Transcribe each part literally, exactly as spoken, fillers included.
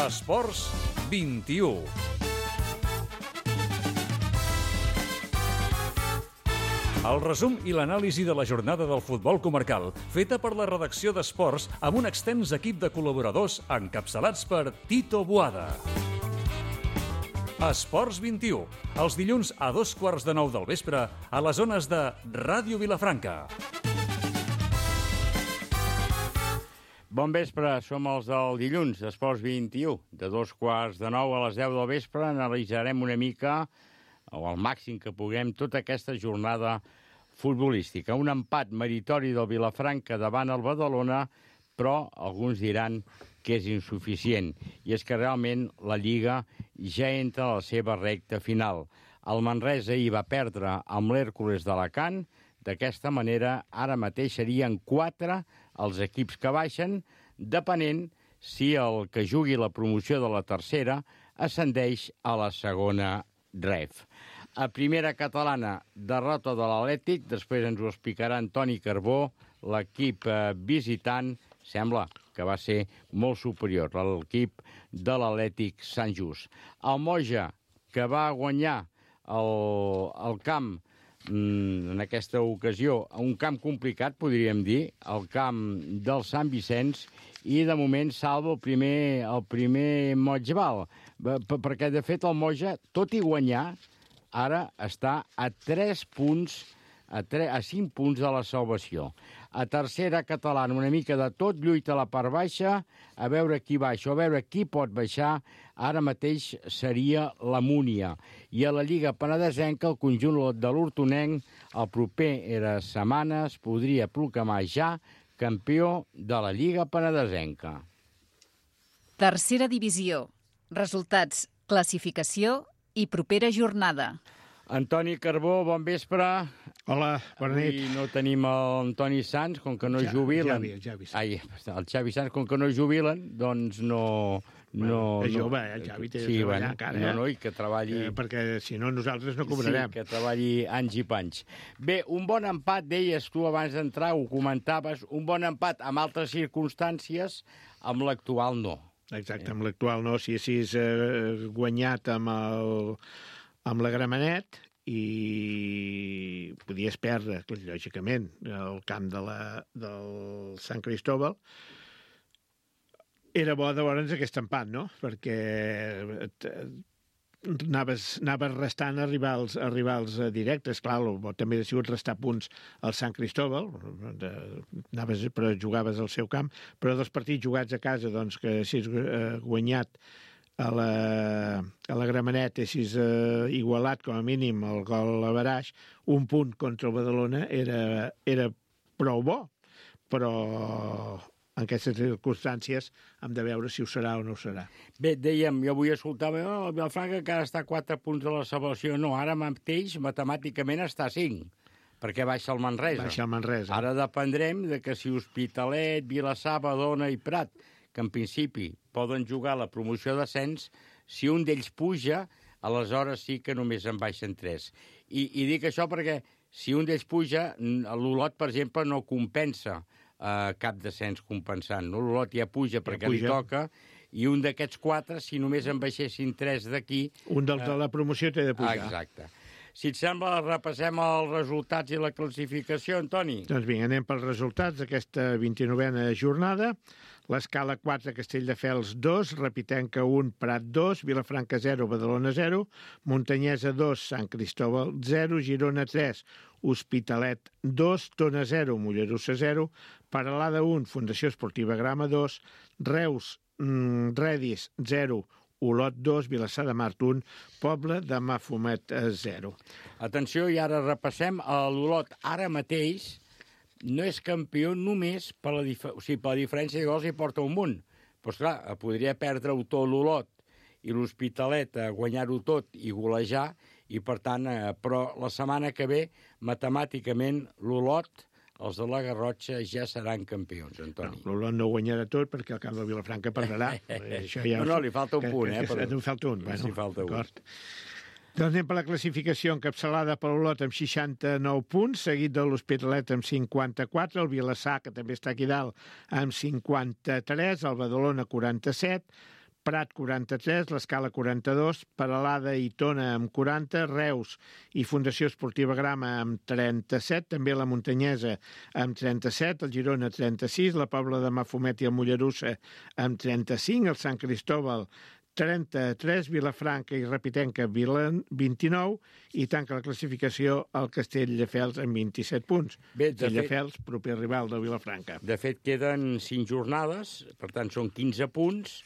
Esports vint-i-u. El resum i l'anàlisi de la jornada del futbol comarcal, feta per la redacció d'Esports amb un extens equip de col·laboradors encapçalats per Tito Boada. Esports vint-i-u, els dilluns a dos quarts de nou del vespre a les zones de Ràdio Vilafranca. Bon vespre, som els del dilluns d'Esports vint-i-u. De dos quarts de nou a les deu del vespre analitzarem una mica, o al màxim que puguem, tota aquesta jornada futbolística. Un empat meritori del Vilafranca davant el Badalona, però alguns diran que és insuficient. I és que realment la Lliga ja entra a la seva recta final. El Manresa hi va perdre amb l'Hèrcules d'Alacant. D'aquesta manera, ara mateix serien quatre els equips que baixen, depenent si el que jugui la promoció de la tercera ascendeix a la segona ref. A primera catalana, derrota de l'Atlètic, després ens ho explicarà Antoni Carbó, l'equip visitant sembla que va ser molt superior a l'equip de l'Atlètic Sant Just. El Moja, que va guanyar el, el camp en aquesta ocasió, un camp complicat, podríem dir, el camp del Sant Vicenç, i de moment salva el primer, el primer Motxval, perquè de fet el Moja, tot i guanyar, ara està a tres punts, a, tres, a cinc punts de la salvació. A tercera catalana, una mica de tot, lluita a la part baixa, a veure qui baixa, a veure qui pot baixar, ara mateix seria la Múnia. I a la Lliga Penedesenca, el conjunt de l'Hortonenc, el proper era setmanes, podria proclamar ja campió de la Lliga Penedesenca. Tercera divisió. Resultats, classificació i propera jornada. Antoni Carbó, bon vespre. Hola, bona nit. Avui no tenim l'Antoni Sans, com que no ja, jubilen. Javi, el Xavi Sans. Ai, el Xavi Sans, com que no jubilen, doncs no... no bueno, és jove, no, el Xavi té de sí, treballar bueno, encara. No, no, i que treballi... Eh, perquè si no nosaltres no cobrarem. Sí, que treballi anys i panys. Bé, un bon empat, deies tu abans d'entrar, ho comentaves, un bon empat amb altres circumstàncies, amb l'actual no. Exacte, amb l'actual no. Si haguessis eh, guanyat amb, el, amb la Gramenet i podies perdre, lògicament, el camp de la, del Sant Cristóbal, era bo de veure'ns aquest empat, no? Perquè anaves, anaves restant a rivals, a rivals directes. Clar, el bo també ha sigut restar punts al Sant Cristóbal, de, anaves, però jugaves al seu camp, però dels partits jugats a casa, doncs, que si has eh, guanyat a la, a la Gramenet, si has eh, igualat com a mínim el gol a Baraix, un punt contra el Badalona era, era prou bo, però en aquestes circumstàncies hem de veure si ho serà o no ho serà. Bé, dèiem, jo vull escoltar, oh, el Vilafranca que ara està a quatre punts de la salvació. No, ara mateix, matemàticament, està a cinc, perquè baixa el Manresa. Baixa el Manresa. Ara dependrem de que si Hospitalet, Vilassar, Badalona i Prat, que en principi poden jugar la promoció d'ascens, si un d'ells puja, aleshores sí que només en baixen tres. I, i dic això perquè si un d'ells puja, l'Olot, per exemple, no compensa Uh, cap descens compensant. No? L'Olot ja puja perquè ja puja. Li toca, i un d'aquests quatre, si només en baixessin tres d'aquí... Un dels uh, de la promoció té de pujar. Exacte. Si et sembla, repassem els resultats i la classificació, Antoni. Doncs vinga, anem pels resultats d'aquesta vint-i-novena jornada. L'Escala quatre, Castelldefels dos, Repitenca un, Prat dos, Vilafranca zero, Badalona zero, Montanyesa dos, Sant Cristóbal zero, Girona tres, Hospitalet dos, Tona zero, Mollerussa zero, Paralada un, Fundació Esportiva Grama dos, Reus, mm, Redis zero, Olot dos, Vilassar de Mar un, Poble de Mafumet zero. Atenció, i ara repassem. L'Olot ara mateix no és campió només per la, dif o sigui, per la diferència de gols i porta un munt. Però, esclar, podria perdre-ho tot l'Olot i l'Hospitalet a guanyar-ho tot i golejar, i per tant, eh, però la setmana que ve, matemàticament, l'Olot, els de la Garrotxa, ja seran campions, Antoni. No, l'Olot no guanyarà tot perquè el camp de Vilafranca perdrà. Això ja no, no, li falta un que, punt, que, eh? Que, però... Li falta un, bueno, sí, falta un. Doncs anem per la classificació encapçalada per l'Olot amb seixanta-nou punts, seguit de l'Hospitalet amb cinquanta-quatre, el Vilassar, que també està aquí dalt, amb cinquanta-tres, el Badalona quaranta-set, Prat quaranta-tres, l'Escala quaranta-dos, Peralada i Tona amb quaranta, Reus i Fundació Esportiva Grama amb trenta-set, també la Muntanyesa amb trenta-set, el Girona trenta-sis, la Pobla de Mafumet i el Mollerussa amb trenta-cinc, el Sant Cristóbal trenta-tres, Vilafranca i Repitenca vint-i-nou i tanca la classificació el Castelldefels amb vint-i-set punts. Bé, de Castelldefels, fet, proper rival de Vilafranca. De fet, queden cinc jornades, per tant són quinze punts.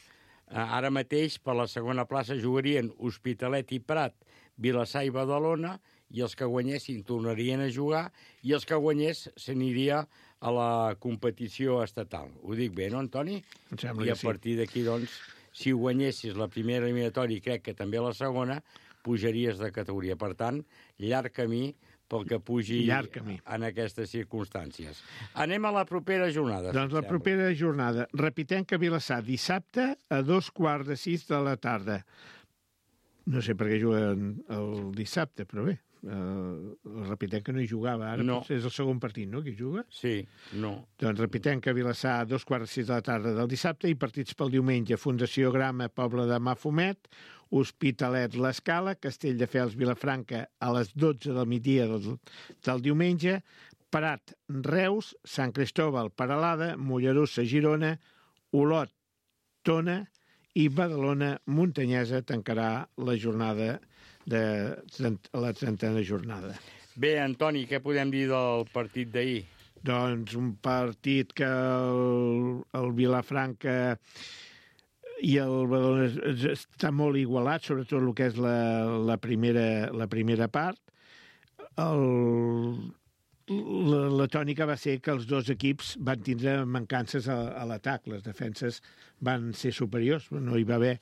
Ara mateix, per la segona plaça, jugarien Hospitalet i Prat, Vilassar i Badalona, i els que guanyessin tornarien a jugar, i els que guanyés s'aniria a la competició estatal. Ho dic bé, no, Antoni? Em sembla I a que sí. partir d'aquí, doncs, si guanyessis la primera eliminatòria, i crec que també la segona, pujaries de categoria. Per tant, llarg camí pel que pugi en aquestes circumstàncies. Anem a la propera jornada. Doncs la propera jornada. Repitenca Vilassar, dissabte a dos quarts de sis de la tarda. No sé per què juguen el dissabte, però bé. Uh, el Repitenca no hi jugava, ara no. És el segon partit, no?, que hi juga? Sí, no. Doncs Repitenca, Vilassar, a dos quarts de sis de la tarda del dissabte i partits pel diumenge. Fundació Grama, Pobla de Mafumet, Hospitalet, l'Escala, Castelldefels, Vilafranca, a les dotze del migdia del, del diumenge, Prat, Reus, Sant Cristóbal, Peralada, Mollerussa, Girona, Olot, Tona i Badalona, Muntanyesa tancarà la jornada de la trentena jornada. Bé, Antoni, què podem dir del partit d'ahir? Doncs un partit que el, el Vilafranca i el Badalona està molt igualat, sobretot el que és la, la, primera, la primera part. El, la, la tònica va ser que els dos equips van tindre mancances a, a l'atac. Les defenses van ser superiors, no hi va haver,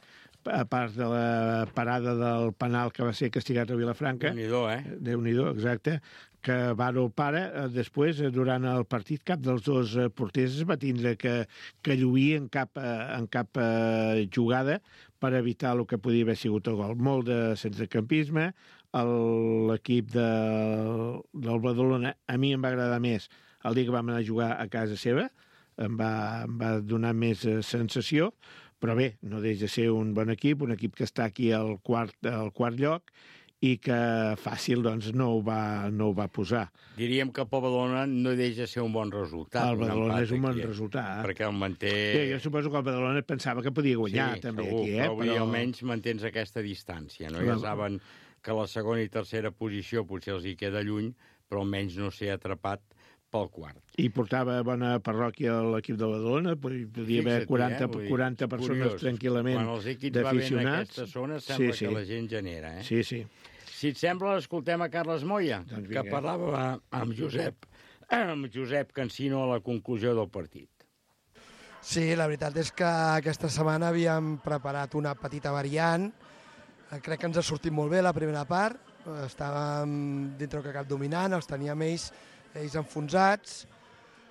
a part de la parada del penal que va ser castigat a Vilafranca. Déu-n'hi-do, eh? Déu-n'hi-do, exacte. Que Varo para, després, durant el partit, cap dels dos porters es va tindre que, que lluir en cap, en cap jugada per evitar el que podia haver sigut el gol. Molt de centrecampisme. L'equip de, del Badalona, a mi em va agradar més el dia que vam anar a jugar a casa seva, em va, em va donar més sensació, però bé, no deixa de ser un bon equip, un equip que està aquí al quart, al quart lloc i que fàcil doncs, no, ho va, no ho va posar. Diríem que el Badalona no deixa de ser un bon resultat. El Badalona és un bon aquí, resultat. Perquè el manté... Sí, jo suposo que el Badalona pensava que podia guanyar sí, també segur, aquí. Eh? Però, però almenys mantens aquesta distància. No? Ja saben que la segona i tercera posició potser els hi queda lluny, però almenys no ser atrapat pel quart. I portava bona parròquia a l'equip de Badalona, podia haver quaranta, eh? quaranta persones curiós. Tranquil·lament d'aficionats. Quan els equips va bé en aquesta zona, sembla sí, sí. que la gent genera. Eh? Sí, sí. Si et sembla, escoltem a Carles Moya, doncs que parlava amb Josep, amb Josep Cansino a la conclusió del partit. Sí, la veritat és que aquesta setmana havíem preparat una petita variant. Crec que ens ha sortit molt bé la primera part. Estàvem dintre que cap dominant, els teníem ells ells enfonsats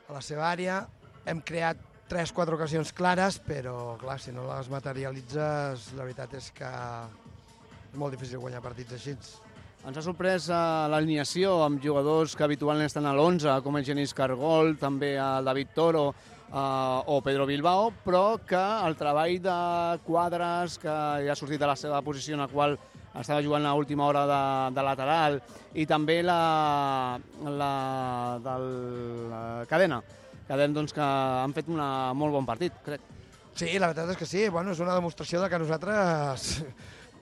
a la seva àrea. Hem creat tres o quatre ocasions clares, però clar, si no les materialitzes, la veritat és que és molt difícil guanyar partits així. Ens ha sorprès l'alineació amb jugadors que habitualment estan a l'onze, com el Genís Cargol, també el David Toro eh, o Pedro Bilbao, però que el treball de Quadres, que ja ha sortit de la seva posició en la qual estava jugant a última hora de, de lateral, i també la, la del la Cadena. Cadena, doncs, que han fet un molt bon partit, crec. Sí, la veritat és que sí. Bueno, és una demostració de que nosaltres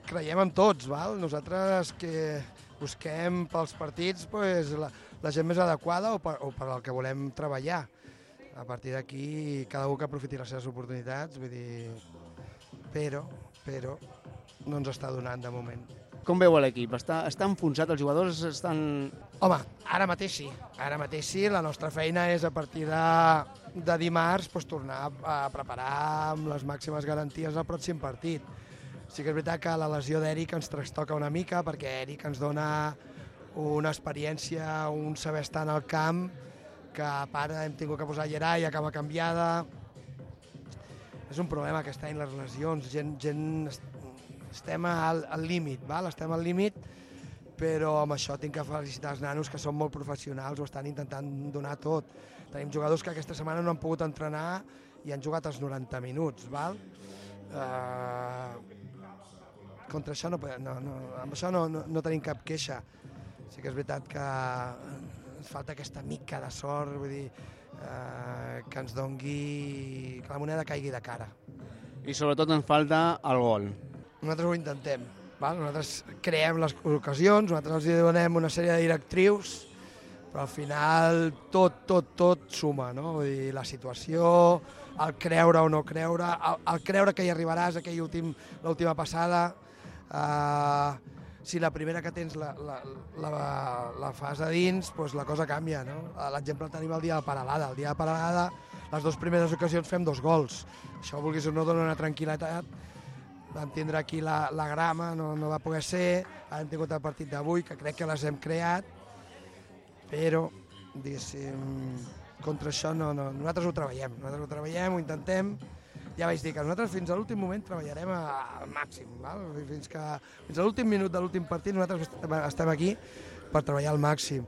creiem en tots, val? Nosaltres que busquem pels partits pues, la, la gent més adequada o per, o per al que volem treballar. A partir d'aquí, cada un que aprofiti les seves oportunitats, vull dir... Però, però, no ens està donant de moment. Com veu l'equip? Està, està enfonsat, els jugadors estan... Home, ara mateix sí. Ara mateix sí. La nostra feina és a partir de, de dimarts pues, tornar a preparar amb les màximes garanties el pròxim partit. Sí que és veritat que la lesió d'Eric ens trastoca una mica perquè Eric ens dona una experiència, un saber estar en el camp que a part hem tingut que posar Gerai a cama canviada. És un problema aquest any les lesions, gent... gent estem al, al límit, val? Estem al límit, però amb això tinc que felicitar els nanos que són molt professionals, ho estan intentant donar tot. Tenim jugadors que aquesta setmana no han pogut entrenar i han jugat els noranta minuts, val? Uh, contra això no, no, no, amb això no, no, no tenim cap queixa. Sí que és veritat que ens falta aquesta mica de sort, vull dir, uh, que ens dongui, que la moneda caigui de cara. I sobretot ens falta el gol. Nosaltres ho intentem, val? Nosaltres creem les ocasions, nosaltres els donem una sèrie de directrius, però al final tot, tot, tot suma, no? Vull dir, la situació, el creure o no creure, el, el creure que hi arribaràs, aquell últim, l'última passada, eh, si la primera que tens la, la, la, la fas a dins, doncs la cosa canvia, no? L'exemple el tenim el dia de Paralada. El dia de Paralada, les dues primeres ocasions fem dos gols. Això, vulguis o no, dona una tranquil·litat. Vam tindre aquí la, la grama, no, no va poder ser, hem tingut el partit d'avui, que crec que les hem creat, però, diguéssim, contra això no, no, nosaltres ho treballem, nosaltres ho treballem, ho intentem, ja vaig dir que nosaltres fins a l'últim moment treballarem al màxim, val? Fins, que, fins a l'últim minut de l'últim partit nosaltres estem aquí per treballar al màxim.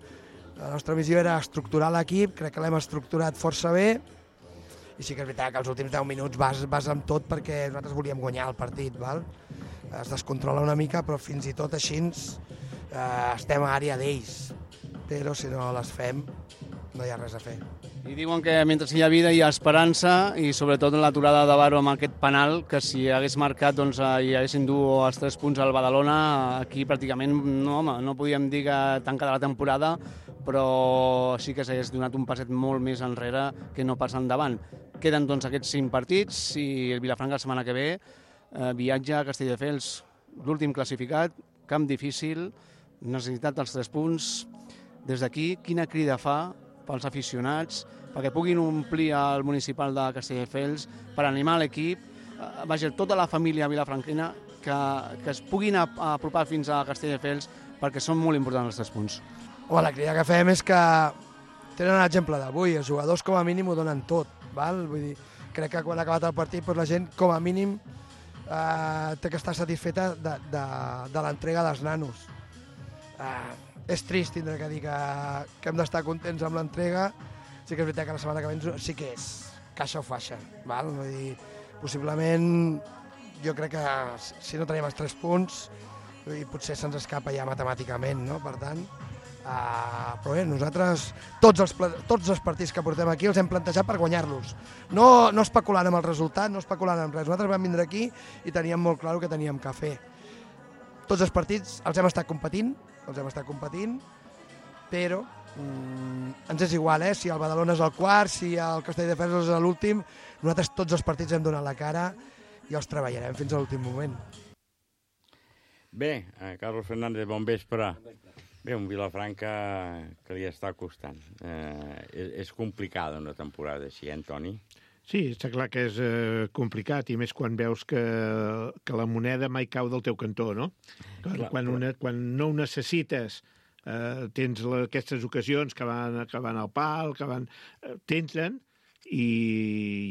La nostra missió era estructurar l'equip, crec que l'hem estructurat força bé, i sí que és veritat que els últims deu minuts vas, vas amb tot perquè nosaltres volíem guanyar el partit, val? Es descontrola una mica, però fins i tot així eh, estem a àrea d'ells, però si no les fem no hi ha res a fer. I diuen que mentre hi ha vida hi ha esperança i sobretot l'aturada de Baro amb aquest penal, que si hagués marcat doncs, hi haguessin dut els tres punts al Badalona, aquí pràcticament no, home, no podíem dir que tancada la temporada, però sí que s'hagués donat un passet molt més enrere que no pas endavant. Queden doncs aquests cinc partits i el Vilafranca la setmana que ve eh, viatja a Castelldefels, l'últim classificat, camp difícil, necessitat dels tres punts. Des d'aquí, quina crida fa pels aficionats perquè puguin omplir el municipal de Castelldefels per animar l'equip, eh, vaja, tota la família vilafranquina que, que es puguin apropar fins a Castelldefels perquè són molt importants els tres punts. Home, la crida que fem és que tenen l'exemple d'avui, els jugadors com a mínim ho donen tot, val? Vull dir, crec que quan ha acabat el partit doncs la gent com a mínim eh, té que estar satisfeta de, de, de l'entrega dels nanos. Eh, és trist tindre que dir que, que hem d'estar contents amb l'entrega, sí que és veritat que la setmana que ve sí que és caixa o faixa, val? Vull dir, possiblement jo crec que si no tenim els tres punts i potser se'ns escapa ja matemàticament, no? Per tant, uh, però bé, nosaltres tots els, tots els partits que portem aquí els hem plantejat per guanyar-los, no, no especulant amb el resultat, no especulant amb res. Nosaltres vam vindre aquí i teníem molt clar el que teníem que fer. Tots els partits els hem estat competint, els hem estat competint, però mm, ens és igual, eh? Si el Badalona és el quart, si el Castelldefels és l'últim, nosaltres tots els partits hem donat la cara i els treballarem fins a l'últim moment. Bé, eh, Carlos Fernández, bon vespre. Bé, un Vilafranca que li està costant. Eh, és, és complicada una temporada així, eh, Antoni? Sí, està clar que és eh, complicat, i més quan veus que, que la moneda mai cau del teu cantó, no? Quan, clar, quan, una, quan no ho necessites, eh, tens la, aquestes ocasions que van, que van al pal, que van... Eh, t'entren, i,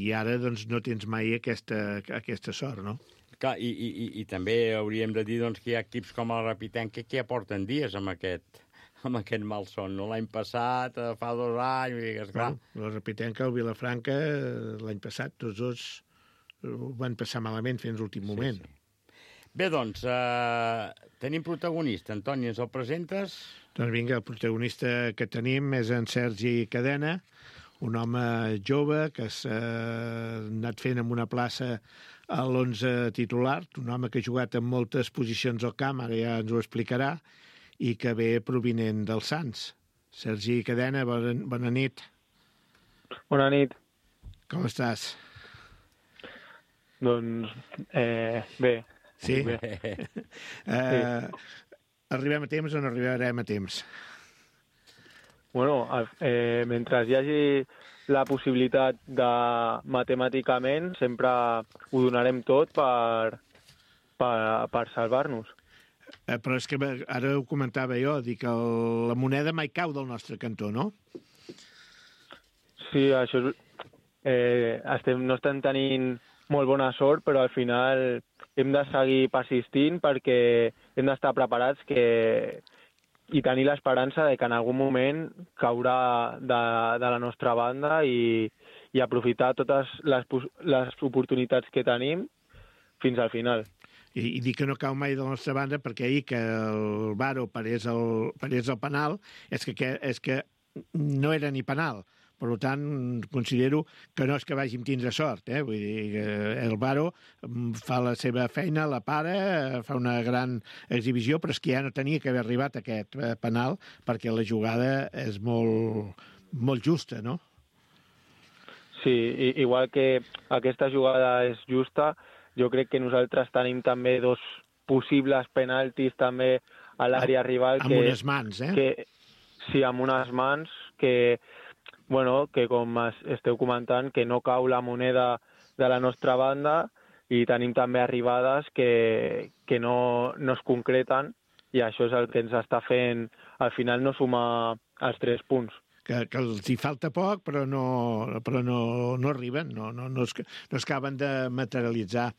i ara doncs, no tens mai aquesta, aquesta sort, no? Clar, i, i, i també hauríem de dir doncs, que hi ha equips com el Rapitenca que ja porten dies amb aquest, amb aquest malson. No? L'any passat, fa dos anys... Digues, clar. Bueno, el Rapitenca, el Vilafranca, l'any passat, tots dos ho van passar malament fins l'últim sí, moment. Sí. Bé, doncs, eh, tenim protagonista. Antoni, ens el presentes? Doncs vinga, el protagonista que tenim és en Sergi Cadena, un home jove que s'ha anat fent en una plaça a l'onze titular, un home que ha jugat en moltes posicions al camp, ara ja ens ho explicarà, i que ve provinent del Sants. Sergi Cadena, bona, bona nit. Bona nit. Com estàs? Doncs, eh, bé. Sí? Bé. eh, sí. Arribem a temps o no arribarem a temps? Bueno, eh, mentre hi hagi la possibilitat de matemàticament, sempre ho donarem tot per, per, per salvar-nos. Eh, però és que ara ho comentava jo, dic que el, la moneda mai cau del nostre cantó, no? Sí, això és... Eh, estem, no estem tenint molt bona sort, però al final hem de seguir persistint perquè hem d'estar preparats que... i tenir l'esperança de que en algun moment caurà de, de la nostra banda i, i aprofitar totes les, les oportunitats que tenim fins al final. I, i dic que no cau mai de la nostra banda perquè ahir que el Varo parés el, parés el penal és que, que, és que no era ni penal. Per tant, considero que no és que vàgim tindre sort. Eh? Vull dir que el Varo fa la seva feina, la para, fa una gran exhibició, però és que ja no tenia que haver arribat a aquest penal perquè la jugada és molt, molt justa, no? Sí, igual que aquesta jugada és justa, jo crec que nosaltres tenim també dos possibles penaltis també a l'àrea rival. Amb que, unes mans, eh? Que, sí, amb unes mans que, bueno, que com esteu comentant, que no cau la moneda de la nostra banda i tenim també arribades que, que no, no es concreten i això és el que ens està fent al final no sumar els tres punts. Que, que els hi falta poc, però no, però no, no arriben, no, no, no, es, no es acaben de materialitzar.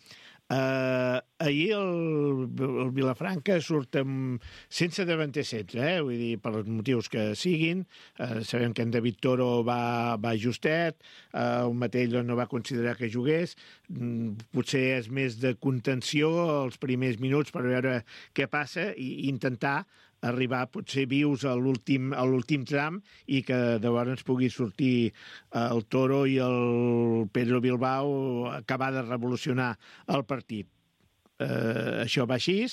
Uh, ahir el, el Vilafranca surt amb, sense davanter setze, eh? Vull dir, per els motius que siguin. Uh, sabem que en David Toro va, va justet, uh, el Matell no va considerar que jugués. Mm, potser és més de contenció els primers minuts per veure què passa i intentar arribar potser vius a l'últim a l'últim tram i que llavors pugui sortir el Toro i el Pedro Bilbao acabar de revolucionar el partit. Eh, això va així,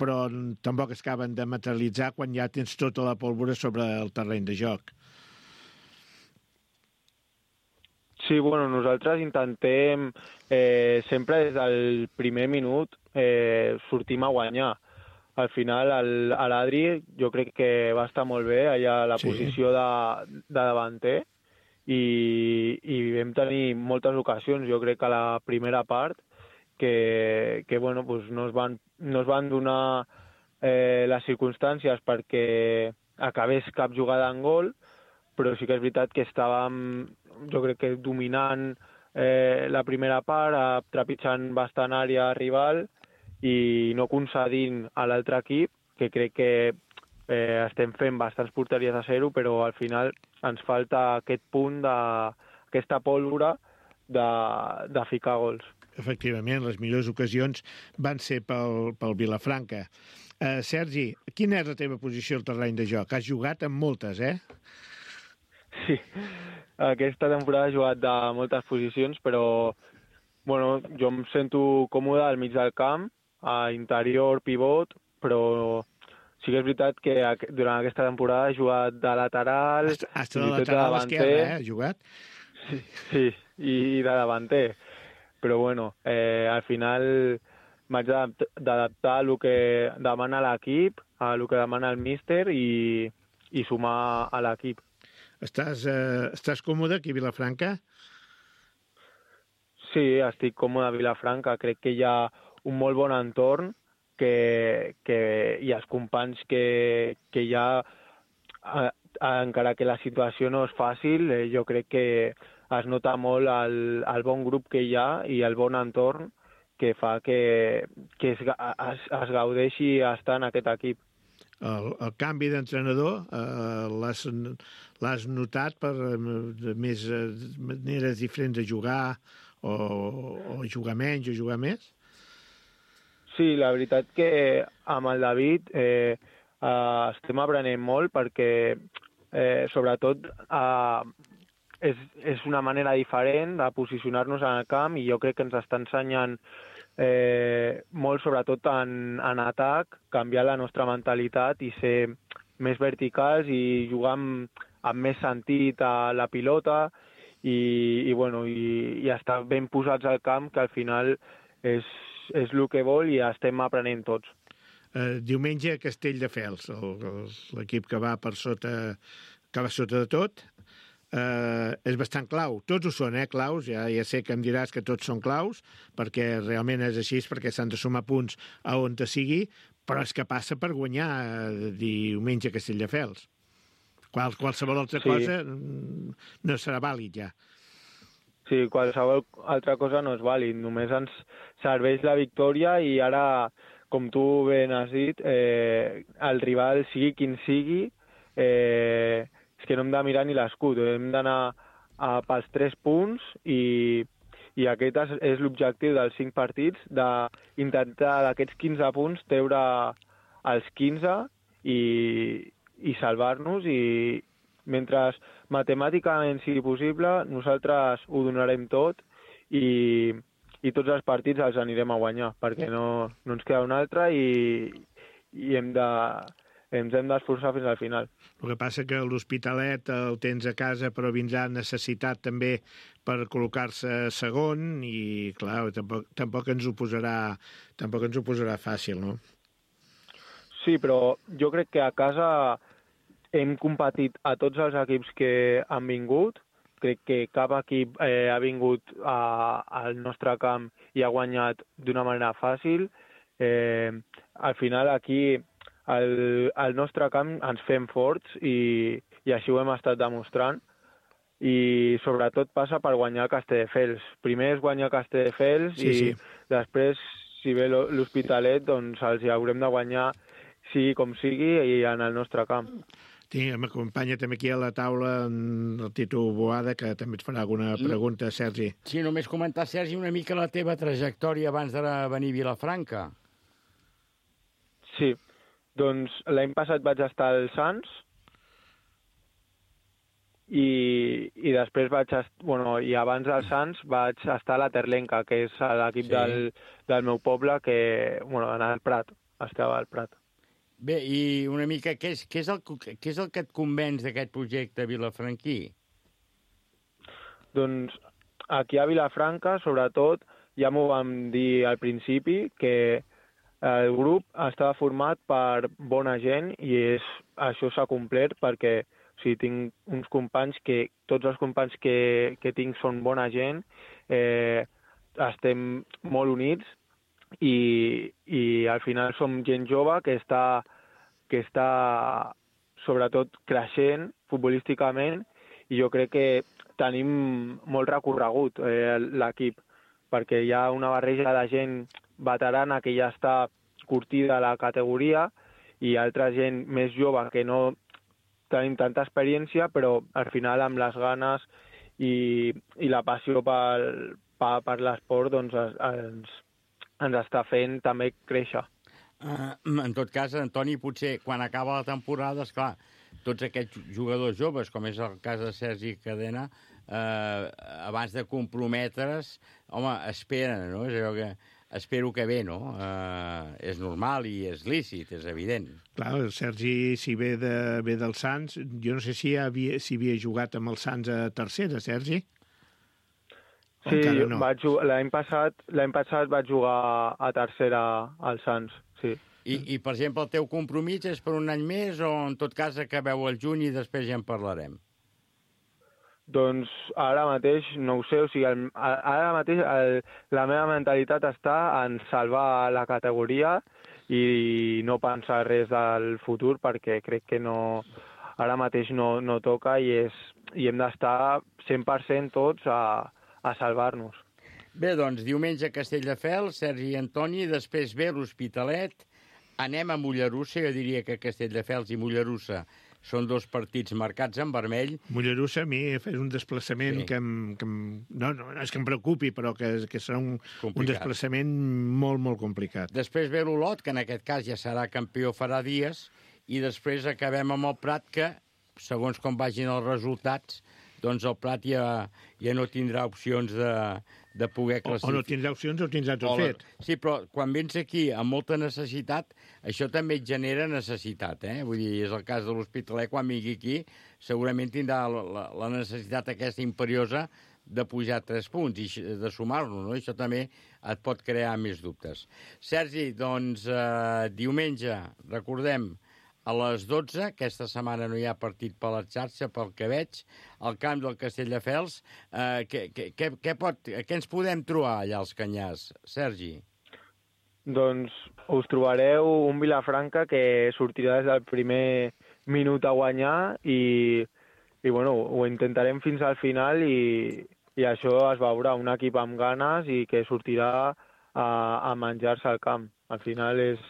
però tampoc es acaben de materialitzar quan ja tens tota la pólvora sobre el terreny de joc. Sí, bueno, nosaltres intentem eh, sempre des del primer minut eh, sortim a guanyar. Al final, el, a l'Adri jo crec que va estar molt bé allà a la sí. posició de, de davanter i, i vam tenir moltes ocasions, jo crec que a la primera part, que, que bueno, pues no, es van, no es van donar eh, les circumstàncies perquè acabés cap jugada en gol, però sí que és veritat que estàvem, jo crec que dominant eh, la primera part, trepitjant bastant àrea rival, i no concedint a l'altre equip, que crec que eh, estem fent bastants porteries a zero, però al final ens falta aquest punt, de, aquesta pólvora de, de ficar gols. Efectivament, les millors ocasions van ser pel, pel Vilafranca. Uh, Sergi, quina és la teva posició al terreny de joc? Has jugat amb moltes, eh? Sí, aquesta temporada he jugat de moltes posicions, però bueno, jo em sento còmode al mig del camp, a interior, pivot, però sí que és veritat que durant aquesta temporada he jugat de lateral, Hasta, hasta de lateral esquerra, eh, has jugat? Sí, sí, i de davanter. Però bueno, eh, al final m'haig d'adaptar a el que demana l'equip, a el que demana el míster i, i sumar a l'equip. Estàs, eh, estàs còmode aquí a Vilafranca? Sí, estic còmode a Vilafranca. Crec que hi ha un molt bon entorn que, que hi ha els companys que, que hi ha, eh, encara que la situació no és fàcil, eh, jo crec que es nota molt el, el bon grup que hi ha i el bon entorn que fa que, que es, es, es gaudeixi estar en aquest equip. El, el canvi d'entrenador eh, l'has notat per més eh, maneres diferents de jugar o, o jugar menys o jugar més? Sí, la veritat que amb el David eh, eh, estem aprenent molt perquè eh, sobretot eh, és, és una manera diferent de posicionar-nos en el camp i jo crec que ens està ensenyant eh, molt sobretot en, en atac, canviar la nostra mentalitat i ser més verticals i jugar amb, amb més sentit a la pilota i, i, bueno, i, i estar ben posats al camp, que al final és és el que vol i estem aprenent tots. Uh, diumenge a Castelldefels, l'equip que va per sota, que va sota de tot, uh, és bastant clau. Tots ho són, eh, claus. Ja, ja sé que em diràs que tots són claus, perquè realment és així, perquè s'han de sumar punts a on te sigui, però és que passa per guanyar uh, diumenge a Castelldefels. Qual, qualsevol altra sí. cosa no serà vàlid ja. Sí, qualsevol altra cosa no és vàlid, només ens serveix la victòria i ara, com tu ben has dit, eh, el rival sigui quin sigui, eh, és que no hem de mirar ni l'escut, hem d'anar pels tres punts i, I aquest és, és l'objectiu dels cinc partits, d'intentar d'aquests quinze punts treure els quinze i, i salvar-nos, i mentre matemàticament sigui possible, nosaltres ho donarem tot i, i tots els partits els anirem a guanyar, perquè no, no ens queda un altre i, i hem de, ens hem d'esforçar fins al final. El que passa que l'Hospitalet el tens a casa, però vindrà necessitat també per col·locar-se segon i, clar, tampoc, tampoc ens ho posarà tampoc ens ho posarà fàcil, no? Sí, però jo crec que a casa hem competit a tots els equips que han vingut. Crec que cap equip eh, ha vingut a, al nostre camp i ha guanyat d'una manera fàcil. Eh, al final aquí al, al nostre camp ens fem forts i, i així ho hem estat demostrant. I sobretot passa per guanyar Castelldefels. Primer és guanyar Castelldefels sí, i sí. Després, si ve l'Hospitalet, doncs els hi haurem de guanyar sigui com sigui i en el nostre camp. M'acompanya també aquí a la taula el Tito Boada, que també et farà alguna pregunta, Sergi. Sí, només comentar, Sergi, una mica la teva trajectòria abans de venir a Vilafranca. Sí, doncs l'any passat vaig estar al Sants i, i després vaig estar, bueno, i abans del Sants vaig estar a la Terlenca, que és l'equip sí. del, del meu poble, que, bueno, en el Prat, estava al Prat. Bé, i una mica, què és, què és, el, què és el que et convenç d'aquest projecte vilafranquí? Doncs aquí a Vilafranca, sobretot, ja m'ho vam dir al principi, que el grup estava format per bona gent i és, això s'ha complert perquè o sigui, tinc uns companys que, tots els companys que, que tinc són bona gent, eh, estem molt units, I, i al final som gent jove que està, que està sobretot creixent futbolísticament i jo crec que tenim molt recorregut eh, l'equip, perquè hi ha una barreja de gent veterana que ja està curtida a la categoria i altra gent més jove que no tenim tanta experiència, però al final amb les ganes i, i la passió per, per, per l'esport doncs ens ens està fent també créixer. Uh, en tot cas, Antoni, potser quan acaba la temporada, esclar, tots aquests jugadors joves, com és el cas de Sergi Cadena, uh, abans de comprometre's, home, esperen, no? És allò que espero que bé, no? Uh, és normal i és lícit, és evident. Clar, el Sergi, si ve, de, ve del Sants, jo no sé si havia, si havia jugat amb el Sants a tercera, Sergi? Sí, no. l'any passat, l'any passat vaig jugar a tercera al Sants, sí. I, I, per exemple, el teu compromís és per un any més o, en tot cas, acabeu el juny i després ja en parlarem? Doncs ara mateix no ho sé, o sigui, el, ara mateix el, la meva mentalitat està en salvar la categoria i no pensar res del futur perquè crec que no, ara mateix no, no toca i, és, i hem d'estar cent per cent tots a a salvar-nos. Bé, doncs, diumenge a Castelldefels, Sergi i Antoni, després ve l'Hospitalet, anem a Mollerussa, jo diria que Castelldefels i Mollerussa són dos partits marcats en vermell. Mollerussa a mi és un desplaçament sí. que, em, que em, no, no, no és que em preocupi, però que, que serà un, un desplaçament molt, molt complicat. Després ve l'Olot, que en aquest cas ja serà campió farà dies, i després acabem amb el Prat, que, segons com vagin els resultats, doncs el Prat ja, ja no tindrà opcions de, de poder classificar. O, o no tindrà opcions o tindrà tot o, fet. Sí, però quan vens aquí amb molta necessitat, això també et genera necessitat, eh? Vull dir, és el cas de l'Hospitalet, quan vingui aquí, segurament tindrà la, la, la necessitat aquesta imperiosa de pujar tres punts i de sumar-lo, no? Això també et pot crear més dubtes. Sergi, doncs, eh, diumenge, recordem, a les dotze, aquesta setmana no hi ha partit per la xarxa, pel que veig, al camp del Castelldefels. Eh, què, què, què, pot, què ens podem trobar allà als Canyars, Sergi? Doncs us trobareu un Vilafranca que sortirà des del primer minut a guanyar i, i bueno, ho intentarem fins al final i, i això es veurà, un equip amb ganes i que sortirà a, a menjar-se al camp. Al final és...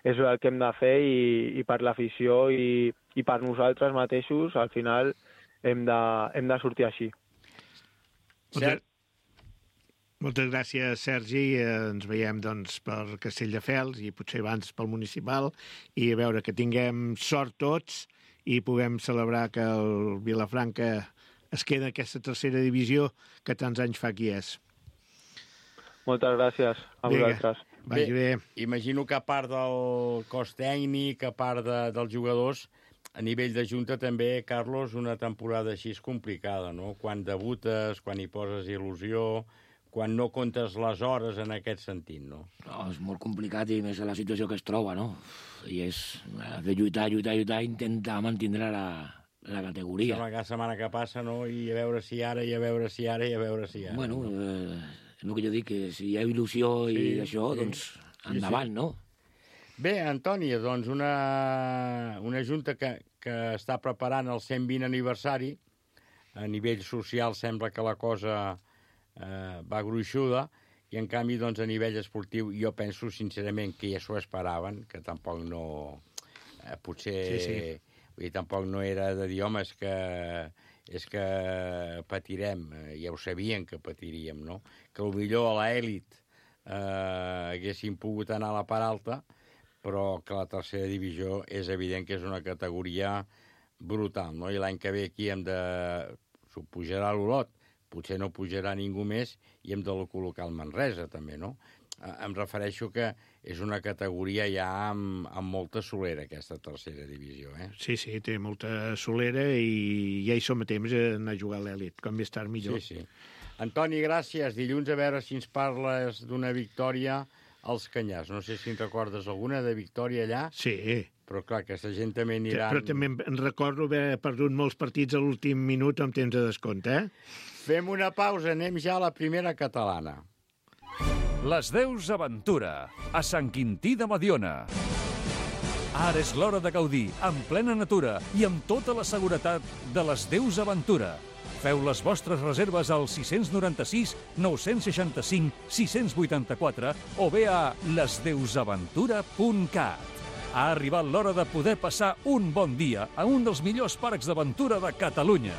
és el que hem de fer i, i per l'afició i, i per nosaltres mateixos, al final hem de, hem de sortir així. Ser... Moltes gràcies, Sergi. Ens veiem doncs, per Castelldefels i potser abans pel municipal, i a veure que tinguem sort tots i puguem celebrar que el Vilafranca es queda en aquesta tercera divisió que tants anys fa qui és. Moltes gràcies a vosaltres. Vagi bé. Imagino que a part del cos tècnic, a part de, dels jugadors, a nivell de junta també, Carlos, una temporada així és complicada, no? Quan debutes, quan hi poses il·lusió, quan no comptes les hores en aquest sentit, no? No, és molt complicat i més a la situació que es troba, no? I és de lluitar, lluitar, lluitar, intentar mantenir la, la categoria. Sembla cada setmana que passa, no? I a veure si ara, i a veure si ara, i a veure si ara. Bueno, eh, és el que jo dic, que si hi ha il·lusió i Sí, això, sí. doncs endavant, Sí, sí. no? Bé, Antoni, doncs una, una junta que, que està preparant el cent vint aniversari. A nivell social sembla que la cosa eh, va gruixuda, i en canvi, doncs, a nivell esportiu, jo penso sincerament que ja s'ho esperaven, que tampoc no... Eh, potser... Sí, sí. Vull dir, tampoc no era de dir, home, és que, és que patirem. Eh, ja ho sabien que patiríem, no? Que potser a l'elit eh, haguessin pogut anar a la part alta, però que la tercera divisió és evident que és una categoria brutal, no? I l'any que ve aquí hem de... S'ho pujarà l'Olot, potser no pujarà ningú més, i hem de col·locar el Manresa, també, no? Eh, em refereixo que és una categoria ja amb, amb molta solera, aquesta tercera divisió, eh? Sí, sí, té molta solera i ja hi som a temps d'anar a jugar a l'èlit. Com més tard, millor. Sí, sí. Antoni, gràcies. Dilluns a veure si ens parles d'una victòria als Canyars. No sé si en recordes alguna de victòria allà. Sí. Però clar, aquesta gent també anirà... Però també em recordo haver perdut molts partits a l'últim minut amb temps de descompte, eh? Fem una pausa, anem ja a la primera catalana. Les Deus Aventura, a Sant Quintí de Mediona. Ara és l'hora de gaudir, en plena natura i amb tota la seguretat de les Deus Aventura. Feu les vostres reserves al sis nou sis, nou sis cinc, sis vuit quatre o bé a les deus aventura punt cat. Ha arribat l'hora de poder passar un bon dia a un dels millors parcs d'aventura de Catalunya.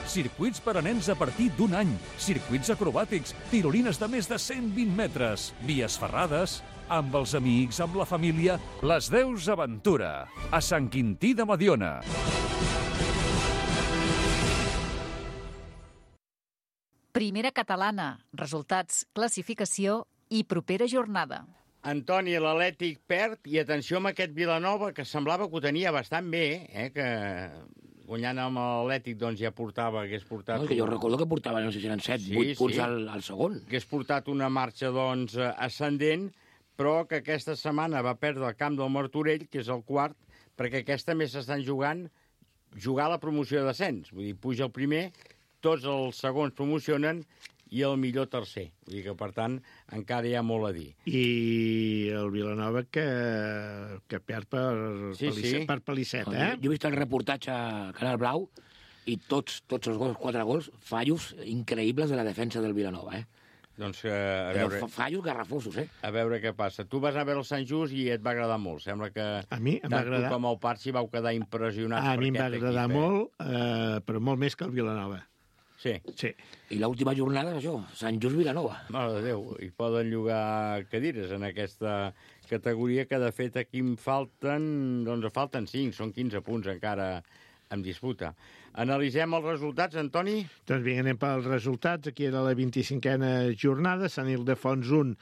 Circuits per a nens a partir d'un any, circuits acrobàtics, tirolines de més de cent vint metres, vies ferrades, amb els amics, amb la família, les Deus Aventura, a Sant Quintí de Mediona. Primera catalana, resultats, classificació i propera jornada. Antoni, l'Atlètic perd, i atenció amb aquest Vilanova, que semblava que ho tenia bastant bé, eh? Que guanyant amb l'Atlètic doncs ja portava, hagués portat... No, que jo recordo que portava, no sé si eren set, Sí, vuit punts sí. al, al segon. Hagués portat una marxa, doncs, ascendent, però que aquesta setmana va perdre el camp del Martorell, que és el quart, perquè aquesta més s'estan jugant jugar la promoció de descens. Vull dir, puja el primer, tots els segons promocionen i el millor tercer. Vull dir que, per tant, encara hi ha molt a dir. I el Vilanova que, que perd per, Sí, Pelisset, sí. per Pelisset, No, eh? jo, jo he vist el reportatge a Canal Blau i tots, tots els gols, quatre gols, fallos increïbles de la defensa del Vilanova, eh? Doncs eh, a, Però veure, fa- fallos garrafosos, eh? a veure què passa. Tu vas anar a veure el Sant Just i et va agradar molt. Sembla que A mi em va tant tu agradar. com el Parsi vau quedar impressionats A per mi em va aquest agradar equip, eh? molt, eh, però molt més que el Vilanova. Sí. Sí. I l'última jornada és això, Sant Just Vilanova. Mare de Déu, hi poden llogar cadires en aquesta categoria, que de fet aquí em falten, doncs en falten cinc, són quinze punts encara en disputa. Analitzem els resultats, Antoni? Doncs vinga, anem pels resultats. Aquí era la vint-i-cinquena jornada. Sant Ildefons un,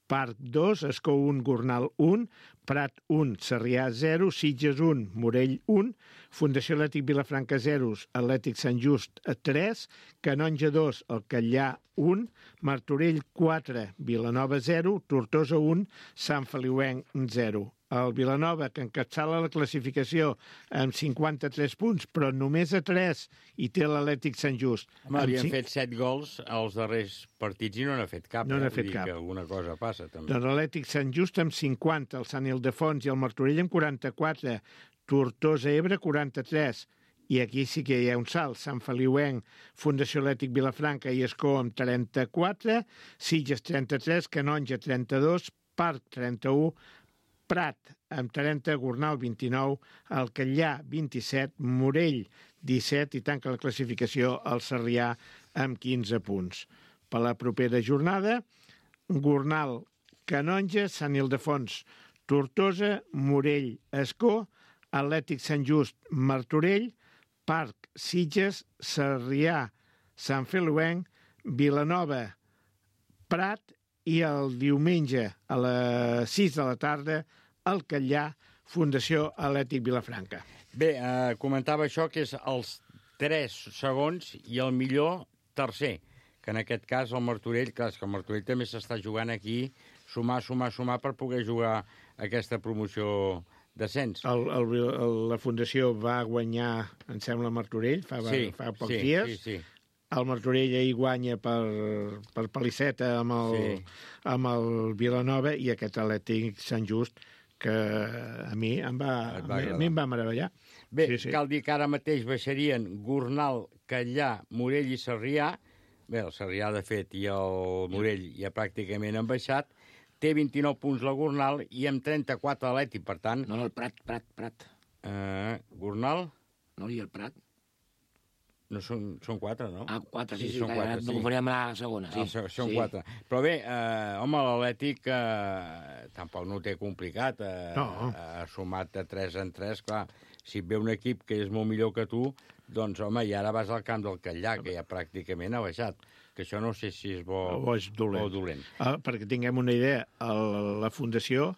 Parc dos, Escó un, Gornal un, Prat un, Sarrià zero, Sitges un, Morell un, Fundació Atlètic Vilafranca zero, Atlètic Sant Just tres, Canonja dos, El Catllà un, Martorell quatre, Vilanova zero, Tortosa un, Sant Feliuenc zero. El Vilanova, que encapçala la classificació amb cinquanta-tres punts, però només a tres, i té l'Atlètic Sant Just. Home, Amb havien cinc- fet set gols als darrers partits i no n'ha fet cap. No eh? n'ha Vull fet dir cap. que alguna cosa passa, també. Doncs l'Atlètic Sant Just amb cinquanta, el Sant Ildefons i el Martorell amb quaranta-quatre, Tortosa Ebre quaranta-tres, i aquí sí que hi ha un salt, Sant Feliuenc, Fundació Atlètic Vilafranca i Escó amb trenta-quatre, Sitges trenta-tres, Canonja trenta-dos, Parc trenta-u, Prat amb trenta, Gornal vint-i-nou, el Catllà vint-i-set, Morell disset i tanca la classificació el Sarrià amb quinze punts. per la propera jornada. Gornal, Canonja, Sant Ildefons, Tortosa, Morell, Escó, Atlètic Sant Just, Martorell, Parc, Sitges, Sarrià, Sant Feliuenc, Vilanova, Prat i el diumenge a les sis de la tarda al Catllà, Fundació Atlètic Vilafranca. Bé, eh, comentava això, que és els tres segons i el millor tercer, que en aquest cas el Martorell, clar, és que el Martorell també s'està jugant aquí, sumar, sumar, sumar per poder jugar aquesta promoció d'ascens. El, el, el, la Fundació va guanyar, em sembla, Martorell fa, sí, fa pocs sí, dies. Sí, sí. El Martorell ahir guanya per, per Paliceta amb el, sí. amb el Vilanova i aquest Atlètic Sant Just, que a mi em va, va, a mi em va meravellar. Bé, sí, sí. Cal dir que ara mateix baixarien Gornal, Catllà, Morell i Sarrià. Bé, el Sarrià, de fet, i el Morell ja pràcticament han baixat. Té vint-i-nou punts la Gornal i amb trenta-quatre l'Atlètic, per tant... No, no, el Prat, Prat, Prat. Uh, Gornal? No, i el Prat? No, són, són quatre, no? Ah, quatre, sí, sí, sí són quatre, no sí. confoníem la segona, sí. Ah, són sí. quatre. Però bé, eh, home, l'Atlètic eh, tampoc no ho té complicat. Eh, no. Ha sumat de tres en tres, clar. Si et ve un equip que és molt millor que tu, doncs, home, i ara vas al camp del Catllà, que ja pràcticament ha baixat. Que això no sé si és bo o és dolent. O dolent. Ah, perquè tinguem una idea, el, la Fundació,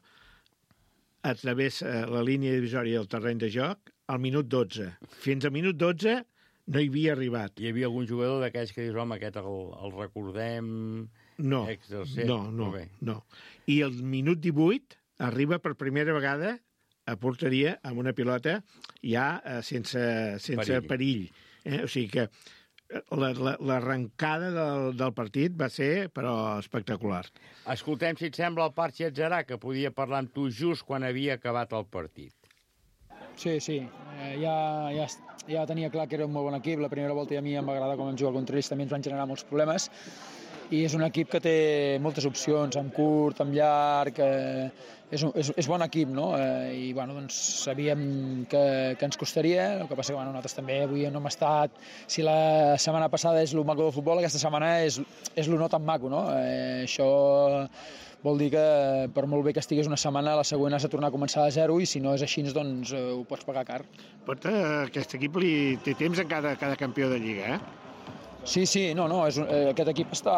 a través de la línia divisòria del terreny de joc, al minut dotze. Fins al minut dotze no hi havia arribat. Hi havia algun jugador d'aquells que dius, home, aquest el, el recordem... No, exercer. no, no, no. I el minut divuit arriba per primera vegada a porteria amb una pilota ja eh, sense, sense perill. perill eh? O sigui que l'arrencada del, del partit va ser, però, espectacular. Escoltem, si et sembla, el Parc Xatzarà, que podia parlar amb tu just quan havia acabat el partit. Sí, sí. Eh, ja, ja, ja tenia clar que era un molt bon equip. La primera volta a mi em va agradar com vam jugar contra ells, també ens van generar molts problemes. I és un equip que té moltes opcions, amb curt, amb llarg... Eh, és, un, és, és bon equip, no? Eh, I, bueno, doncs sabíem que, que ens costaria. El que passa que, bueno, nosaltres també avui no hem estat... Si la setmana passada és el maco del futbol, aquesta setmana és, és el no tan maco, no? Eh, això... Vol dir que per molt bé que estigués una setmana, la següent has de tornar a començar de zero i si no és així, doncs eh, ho pots pagar car. Pot, eh, aquest equip li té temps en cada, cada campió de Lliga, eh? Sí, sí, no, no, és un, eh, aquest equip està,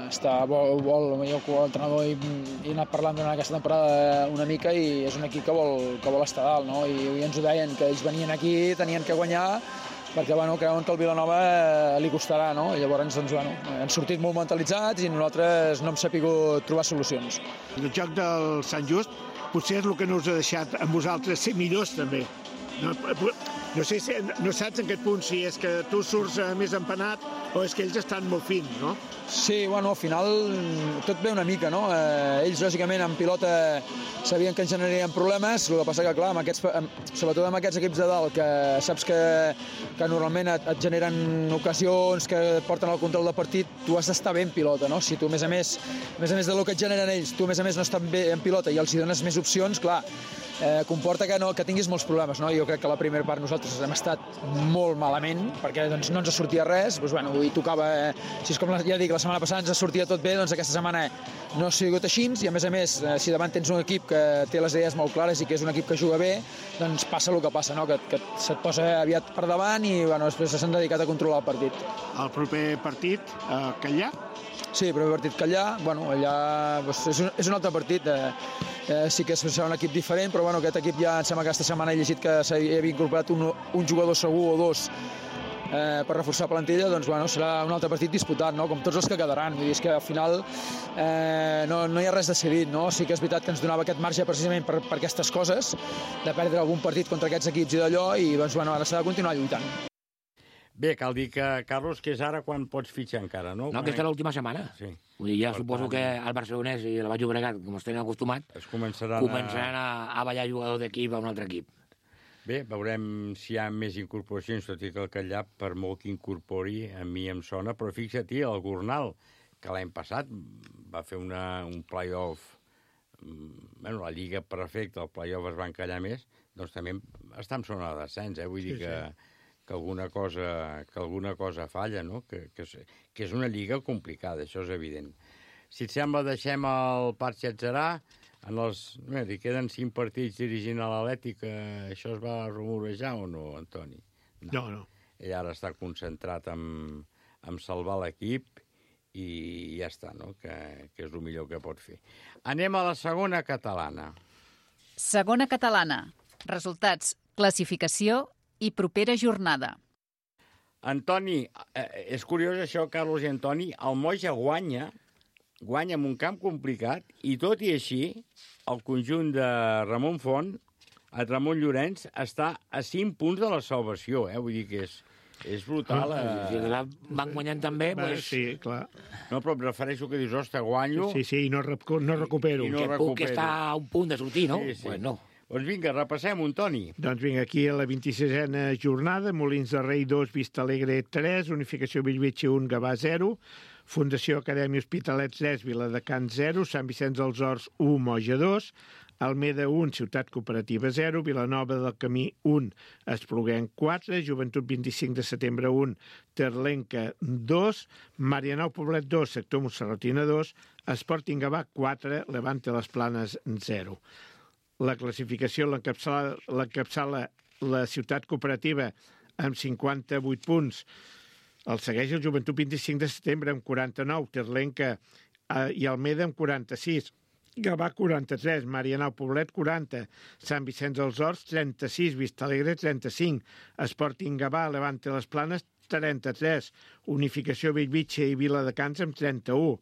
està vol, vol, jo com a entrenador he, he anat parlant durant aquesta temporada una mica i és un equip que vol, que vol estar dalt, no? I, i ens ho deien, que ells venien aquí, tenien que guanyar, perquè bueno, creuen que el Vilanova li costarà, no? I llavors doncs, bueno, han sortit molt mentalitzats i nosaltres no hem sapigut trobar solucions. El joc del Sant Just potser és el que no us ha deixat amb vosaltres ser millors també. No, no sé si, no saps en aquest punt si és que tu surts més empanat o és que ells estan molt fins, no? Sí, bueno, al final tot ve una mica, no? Eh, ells, lògicament, en pilota sabien que ens generarien problemes, el que passa que, clar, amb aquests, sobretot amb aquests equips de dalt, que saps que, que normalment et, et generen ocasions que et porten al control del partit, tu has d'estar bé en pilota, no? Si tu, a més a més, a més a més del que et generen ells, tu, a més a més, no estàs bé en pilota i els hi dones més opcions, clar, eh, comporta que, no, que tinguis molts problemes, no? Jo crec que la primera part nosaltres hem estat molt malament, perquè doncs, no ens sortia res, doncs, bueno, i tocava, eh, si és com ja dic, la setmana passada ens sortia tot bé, doncs aquesta setmana no ha sigut així, i a més a més, eh, si davant tens un equip que té les idees molt clares i que és un equip que juga bé, doncs passa el que passa, no? que, que se't posa aviat per davant i bueno, després s'han dedicat a controlar el partit. El proper partit, a Catllà? Sí, el proper partit Catllà, bueno, allà doncs, és, un, és un altre partit, eh, eh, sí que serà un equip diferent, però bueno, aquest equip ja em sembla que aquesta setmana he llegit que s'havia incorporat un, un jugador segur o dos eh, per reforçar plantilla, doncs bueno, serà un altre partit disputat, no? Com tots els que quedaran. Vull dir, és que al final eh, no, no hi ha res decidit, no? Sí que és veritat que ens donava aquest marge precisament per, per aquestes coses, de perdre algun partit contra aquests equips i d'allò, i doncs bueno, ara s'ha de continuar lluitant. Bé, cal dir que, Carlos, que és ara quan pots fitxar encara, no? No, aquesta és l'última setmana. Sí. Vull dir, ja Per suposo tant, que el Barcelonès i el Baix Llobregat, com es tenen acostumat, es començaran, començaran a, a ballar jugador d'equip a un altre equip. Bé, veurem si hi ha més incorporacions, tot i que el Catllà, per molt que incorpori, a mi em sona, però fixa't, el Gornal, que l'any passat va fer una, un play-off, bueno, la lliga perfecta, el play-off es va encallar més, doncs també està en zona de descens, eh? Vull dir sí, que, sí. que alguna cosa, que alguna cosa falla, no? Que, que, és, que és una lliga complicada, això és evident. Si et sembla, deixem el Parc Xatzarà. En els, bé, li queden cinc partits dirigint a l'Atlètic. Això es va rumorejar o no, Antoni? No, no. Ell ara està concentrat en, en salvar l'equip i ja està, no? Que, que és el millor que pot fer. Anem a la segona catalana. Segona catalana. Resultats, classificació i propera jornada. Antoni, eh, és curiós això, Carlos i Antoni, el Moja guanya, guanya en un camp complicat, i tot i així, el conjunt de Ramon Font, el Ramon Llorenç, està a cinc punts de la salvació, eh? Vull dir que és, és brutal. Eh? Si la van guanyant també, Va, pues... sí, clar. No, però em refereixo que dius, ostres, guanyo... Sí, sí, i no, recu no recupero. I no que puc recupero. estar a un punt de sortir, no? Sí, sí. Pues no. Doncs vinga, repassem, un Toni. Doncs vinga, aquí a la vint-i-sisena jornada, Molins de Rei dos, Vista Alegre tres, Unificació Bellvitge un, Gavà zero, Fundació Acadèmia Hospitalet tres, Viladecans zero, Sant Vicenç dels Horts un, Moja dos, Almeda un, Ciutat Cooperativa zero, Vilanova del Camí un, Espluguenc quatre, Joventut vint-i-cinc de setembre un, Terlenca dos, Marianao Poblet dos, Sector Montserratina dos, Sporting Gavà quatre, Levante les Planes zero. La classificació l'encapçala la Ciutat Cooperativa amb cinquanta-vuit punts. El segueix el Joventut vint-i-cinc de setembre amb quaranta-nou, Terlenca eh, i Almeda amb quaranta-sis, Gavà quaranta-tres, Marianao Poblet quaranta, Sant Vicenç dels Horts trenta-sis, Vistalegre trenta-cinc, Sporting Gavà, Levante les Planes trenta-tres, Unificació Bellvitge i Viladecans amb trenta-u,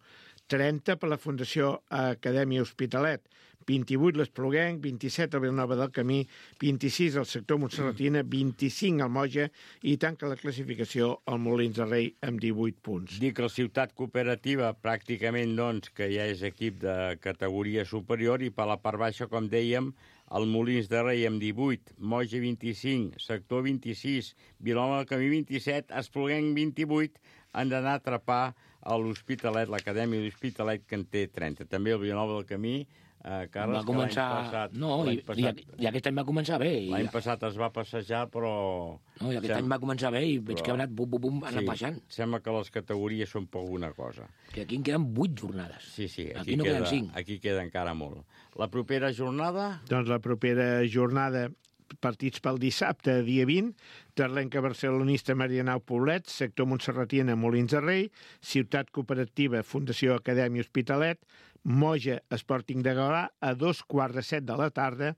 trenta per la Fundació Acadèmia Hospitalet, vint-i-vuit l'Espluguenc, vint-i-set a Vilanova del Camí, vint-i-sis al sector Montserratina, vint-i-cinc al Moja i tanca la classificació al Molins de Rei amb divuit punts. Dic que la Ciutat Cooperativa pràcticament, doncs, que ja és equip de categoria superior i per la part baixa, com dèiem, el Molins de Rei amb divuit, Moja vint-i-cinc, sector vint-i-sis, Vilanova del Camí vint-i-set, Espluguenc vint-i-vuit, han d'anar a atrapar a l'Hospitalet, l'Acadèmia de l'Hospitalet, que en té trenta. També el Vilanova del Camí, eh, Carles, va començar... que l'any passat... No, i, passat... i, i aquest any va començar bé. I... L'any passat es va passejar, però... No, i aquest Sem... any va començar bé i veig però... que ha anat bum, bum, bum, ha anat sí, baixant. Sembla que les categories són per alguna cosa. Que aquí en queden vuit jornades. Sí, sí, aquí, aquí no queda, queden cinc. Aquí queda encara molt. La propera jornada... Doncs la propera jornada, partits pel dissabte, dia vint, Terlenca Barcelonista, Marianao Poblet, sector Montserratina, Molins de Rei, Ciutat Cooperativa, Fundació Acadèmia Hospitalet, Moja, Sporting de Gavà, a dos quarts de set de la tarda,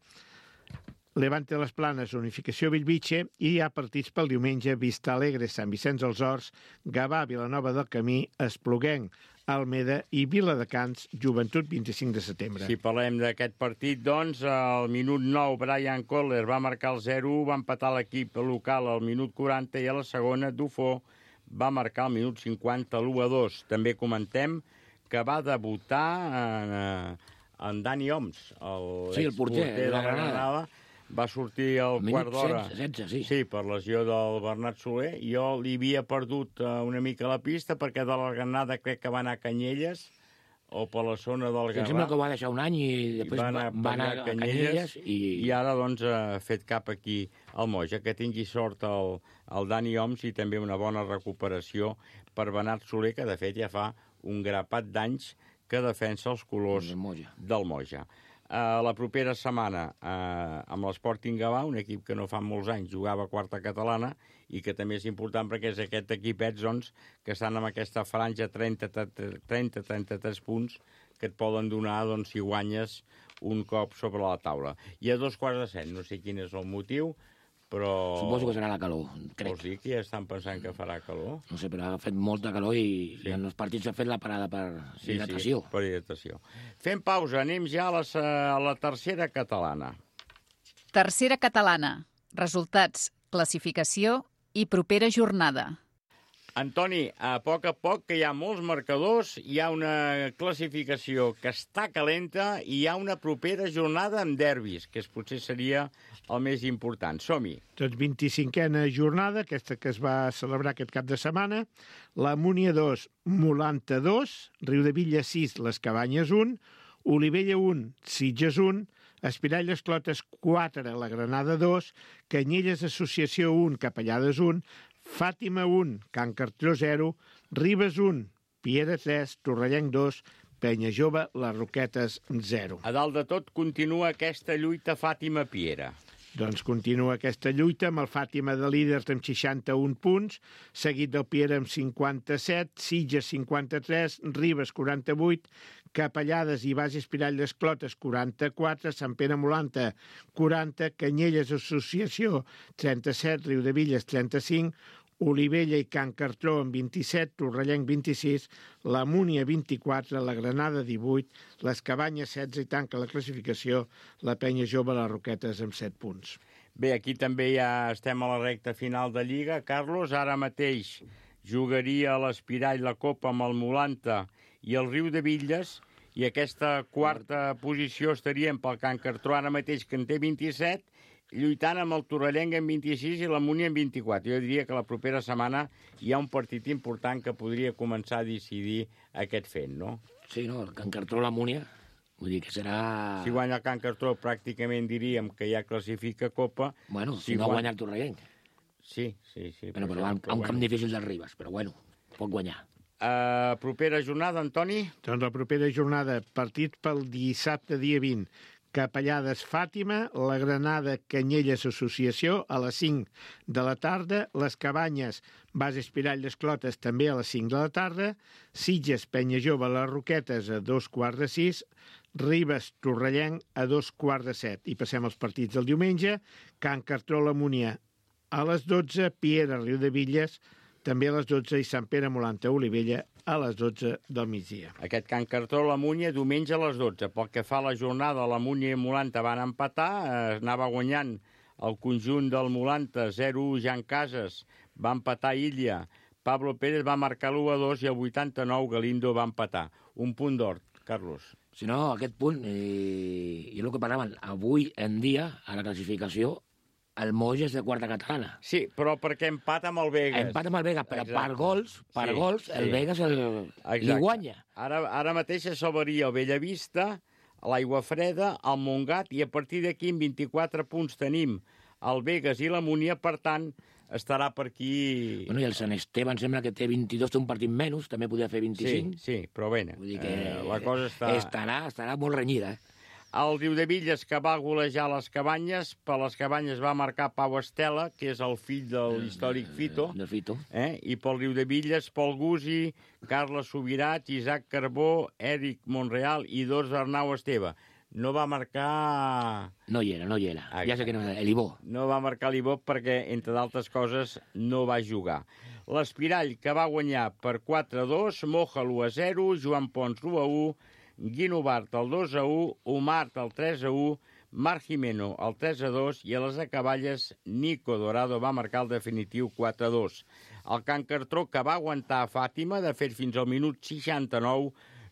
Levante les Planes, Unificació Bellvitge, i hi ha partits pel diumenge, Vista Alegre, Sant Vicenç dels Horts, Gavà, Vilanova del Camí, Espluguenc, Almeda i Viladecans, Joventut vint-i-cinc de setembre. Si parlem d'aquest partit, doncs, al minut nou, Brian Kohler va marcar el zero u, va empatar l'equip local al minut quaranta i a la segona, Dufo va marcar al minut cinquanta l'u a dos. També comentem que va debutar en, en Dani Oms, el, sí, el porter, porter de la Granada. Granada. Va sortir al quart d'hora. Sí. Sí, per lesió del Bernat Soler. Jo li havia perdut una mica la pista perquè de la Granada crec que va anar a Canyelles o per la zona del Gavà. Em sembla que ho va deixar un any i després va anar, va anar a Canyelles. I... I ara, doncs, ha fet cap aquí al Moja. Que tingui sort el, el Dani Oms i també una bona recuperació per Bernat Soler, que de fet ja fa un grapat d'anys que defensa els colors del Moja. Del Moja. Uh, la propera setmana uh, amb l'Sporting Gavà, un equip que no fa molts anys jugava a quarta catalana i que també és important perquè és aquest equipet doncs, que estan en aquesta franja trenta a trenta-tres punts que et poden donar doncs, si guanyes un cop sobre la taula. I a dos quarts de set, no sé quin és el motiu, però... Suposo que serà la calor, crec. Vols dir que ja estan pensant que farà calor? No sé, però ha fet molta calor i, sí. i en els partits s'ha fet la parada per sí, hidratació. Sí, per hidratació. Fem pausa, anem ja a la, a la tercera catalana. Tercera catalana. Resultats, classificació i propera jornada. Antoni, a poc a poc que hi ha molts marcadors, hi ha una classificació que està calenta i hi ha una propera jornada amb derbis, que potser seria el més important. Som-hi. Doncs vint-i-cinquena jornada, aquesta que es va celebrar aquest cap de setmana, la Múnia dos, Molanta dos, Riudevilla sis, Les Cabanyes un, Olivella un, Sitges un, Espiralles Clotes quatre, la Granada dos, Canyelles Associació un, Capellades un, Fàtima un, Can Cartró zero, Ribes un, Piera tres, Torrellenc dos, Penya Jove, les Roquetes zero. A dalt de tot continua aquesta lluita Fàtima-Piera. Doncs continua aquesta lluita amb el Fàtima de líders amb seixanta-un punts, seguit del Piera amb cinquanta-set, Sitges cinquanta-tres, Ribes quaranta-vuit, Capellades i Baix Espiralles Clotes quaranta-quatre, Sant Pere Molanta quaranta, Canyelles Associació trenta-set, Riudevilles trenta-cinc, Olivella i Can Cartró amb vint-i-set, Torrellenc vint-i-sis, la Múnia vint-i-quatre, la Granada divuit, les Cabanyes setze i tanca la classificació la Penya Jove les Roquetes amb set punts. Bé, aquí també ja estem a la recta final de Lliga. Carlos, ara mateix jugaria l'Espirall la Copa amb el Molanta i el Riudevilles, i aquesta quarta posició estaríem pel Can Cartró ara mateix, que en té vint-i-set, lluitant amb el Torrellenc en vint-i-sis i la Múnia en vint-i-quatre. Jo diria que la propera setmana hi ha un partit important que podria començar a decidir aquest fet, no? Sí, no, el Can Cartró, la Múnia, vull dir que serà... Si guanya el Can Cartró, pràcticament diríem que ja classifica Copa. Bueno, si, si no guanya el Torrellenc. Sí, sí, sí. Bueno, però, però a un camp difícil del Ribes, però bueno, pot guanyar. Uh, propera jornada, Antoni? Doncs la propera jornada, partit pel dissabte dia vint. Capellades Fàtima, la Granada Canyelles Associació a les cinc de la tarda, les Cabanyes Bas Espiralles Clotes també a les cinc de la tarda, Sitges Penya Jove les Roquetes a dos quarts de sis, Ribes Torrellenc a dos quarts de set. I passem als partits del diumenge, Can Cartró la Múnia a les dotze, Piera Riudevilles també a les dotze i Sant Pere Molanta Olivella a les dotze del migdia. Aquest Can Cartró la Múnia diumenge a les dotze. Pel que fa a la jornada, la Múnia i Molanta van empatar, eh, anava guanyant el conjunt del Molanta zero u, Jan Casas va empatar Illa, Pablo Pérez va marcar l'u a dos i al vuitanta-nou Galindo va empatar. Un punt d'or, Carlos. Si no, aquest punt, eh, i el que parlaven, avui en dia, a la classificació, el Moix és de quarta catalana. Sí, però perquè empata amb el Vegas. Empata amb el Vegas, però Exacte. per gols, per sí, gols, el sí. Vegas el, li guanya. Ara, ara mateix es salvaria el Bellavista, l'Aigua Freda, el Montgat, i a partir d'aquí amb vint-i-quatre punts tenim el Vegas i la Múnia, per tant, estarà per aquí... Bueno, i el Sant Esteve em sembla que té vint-i-dos, té un partit menys, també podria fer vint-i-cinc. Sí, sí, però bé, Vull dir que eh, la cosa està... Estarà, estarà molt renyida, eh? El Riudevilles, que va golejar les Cabanyes, per les Cabanyes va marcar Pau Estela, que és el fill de l'històric Fito. Del Fito. Eh? I pel Riudevilles, Pol Gusi, Carles Subirats, Isaac Carbó, Èric Monreal i dos d'Arnau Esteve. No va marcar... No hi era, no hi era. Ah, ja sé que no era, l'Ibó. No va marcar l'Ibó perquè, entre d'altres coses, no va jugar. L'Espirall, que va guanyar per quatre a dos, Moja l'u a zero, Joan Pons l'u a u, Guino Bart el dos a u, Omart el tres a u, Marc Jimeno el tres a dos i a les acaballes Nico Dorado va marcar el definitiu quatre a dos. El Can Cartró, que va aguantar a Fàtima, de fet fins al minut seixanta-nou,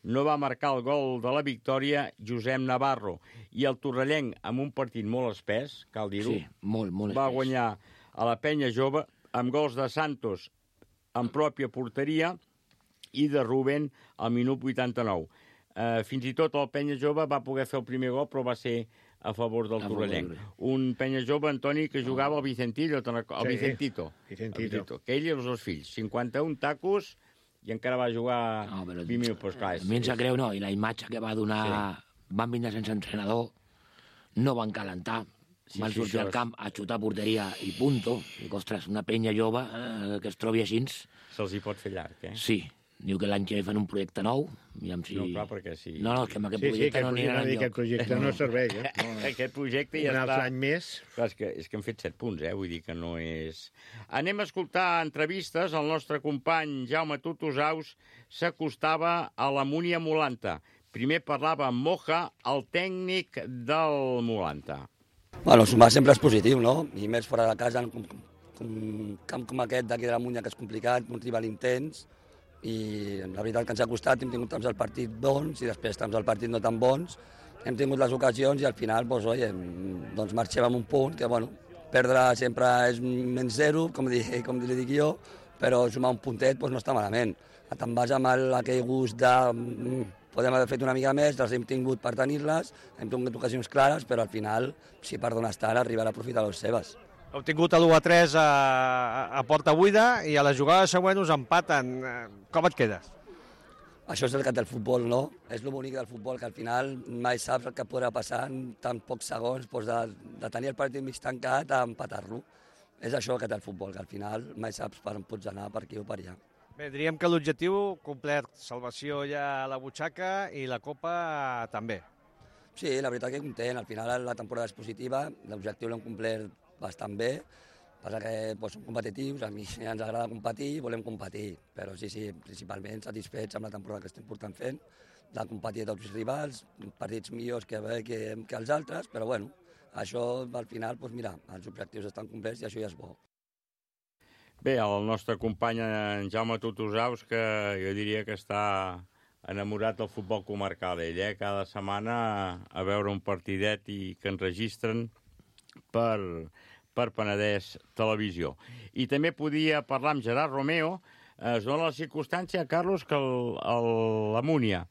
no va marcar el gol de la victòria Josep Navarro. I el Torrellenc, amb un partit molt espès, cal dir-ho, sí, molt, molt va espès. guanyar a la Penya Jove amb gols de Santos en pròpia porteria i de Rubén al minut vuitanta-nou. Uh, fins i tot el Penya Jove va poder fer el primer gol, però va ser a favor del Torrellenc. Un Penya Jove, Antoni, que jugava al Vicentillo, el Sí, Vicentito, Vicentito. el Vicentito, que ell i els dos fills, cinquanta-un tacos, i encara va jugar No, però, vint minuts. Pues, clar, a mi em sap greu, no? I la imatge que va donar... Sí. Van vindre sense entrenador, no van calentar, Sí, van sí, sortir això al és- camp a xutar porteria i punto. Dic, ostres, una penya jove eh, que es trobi així... Se'ls hi pot fer llarg, eh? Sí. Diu que l'any que ve fan un projecte nou. Aviam si... No, clar, perquè sí. No, no, és que amb aquest Sí, sí, projecte aquest no aniran projecte, enlloc. aquest projecte no serveix, eh? No, no. Aquest projecte ja Un altre està... any més. Clar, és, que, és que hem fet set punts, eh? Vull dir que no és... Anem a escoltar entrevistes. El nostre company Jaume Tutusaus s'acostava a la Múnia Molanta. Primer parlava amb Moja, el tècnic del Molanta. Bueno, sumar sempre és positiu, no? I més fora de casa, un, un camp com aquest d'aquí de la Múnia, que és complicat, un rival intens, i la veritat que ens ha costat, hem tingut temps al partit bons i després temps al partit no tan bons, hem tingut les ocasions i al final doncs, oi, doncs marxem amb un punt, que bueno, perdre sempre és menys zero, com, di, com li dic jo, però sumar un puntet doncs, no està malament. Te'n vas amb el, aquell gust de, podem haver fet una mica més, les hem tingut per tenir-les, hem tingut ocasions clares, però al final, si per d'on estan, arribarà a aprofitar les seves. Heu tingut l'u a tres a, a porta buida i a la jugada següent us empaten. Com et quedes? Això és el que té el futbol, no? És el bonic del futbol, que al final mai saps el que podrà passar en tan pocs segons, doncs de, de tenir el partit mig tancat a empatar-lo. És això que té el futbol, que al final mai saps per on pots anar, per aquí o per allà. Bé, diríem que l'objectiu complet, salvació ja a la butxaca i la Copa també. Sí, la veritat que content, al final la temporada és positiva, l'objectiu l'hem complert bastant bé, passa que doncs, som competitius, a mi ens agrada competir i volem competir, però sí, sí, principalment satisfets amb la temporada que estem portant fent, de competir a tots els rivals, partits millors que, que, que els altres, però bueno, això al final, doncs mira, els objectius estan complets i això ja és bo. Bé, el nostre company en Jaume Tutusaus, que jo diria que està enamorat del futbol comarcal, ell, eh? Cada setmana a veure un partidet i que enregistren per... per Penedès Televisió. I també podia parlar amb Gerard Romeo, es dona la circumstància, Carlos, que el, el, la Múnia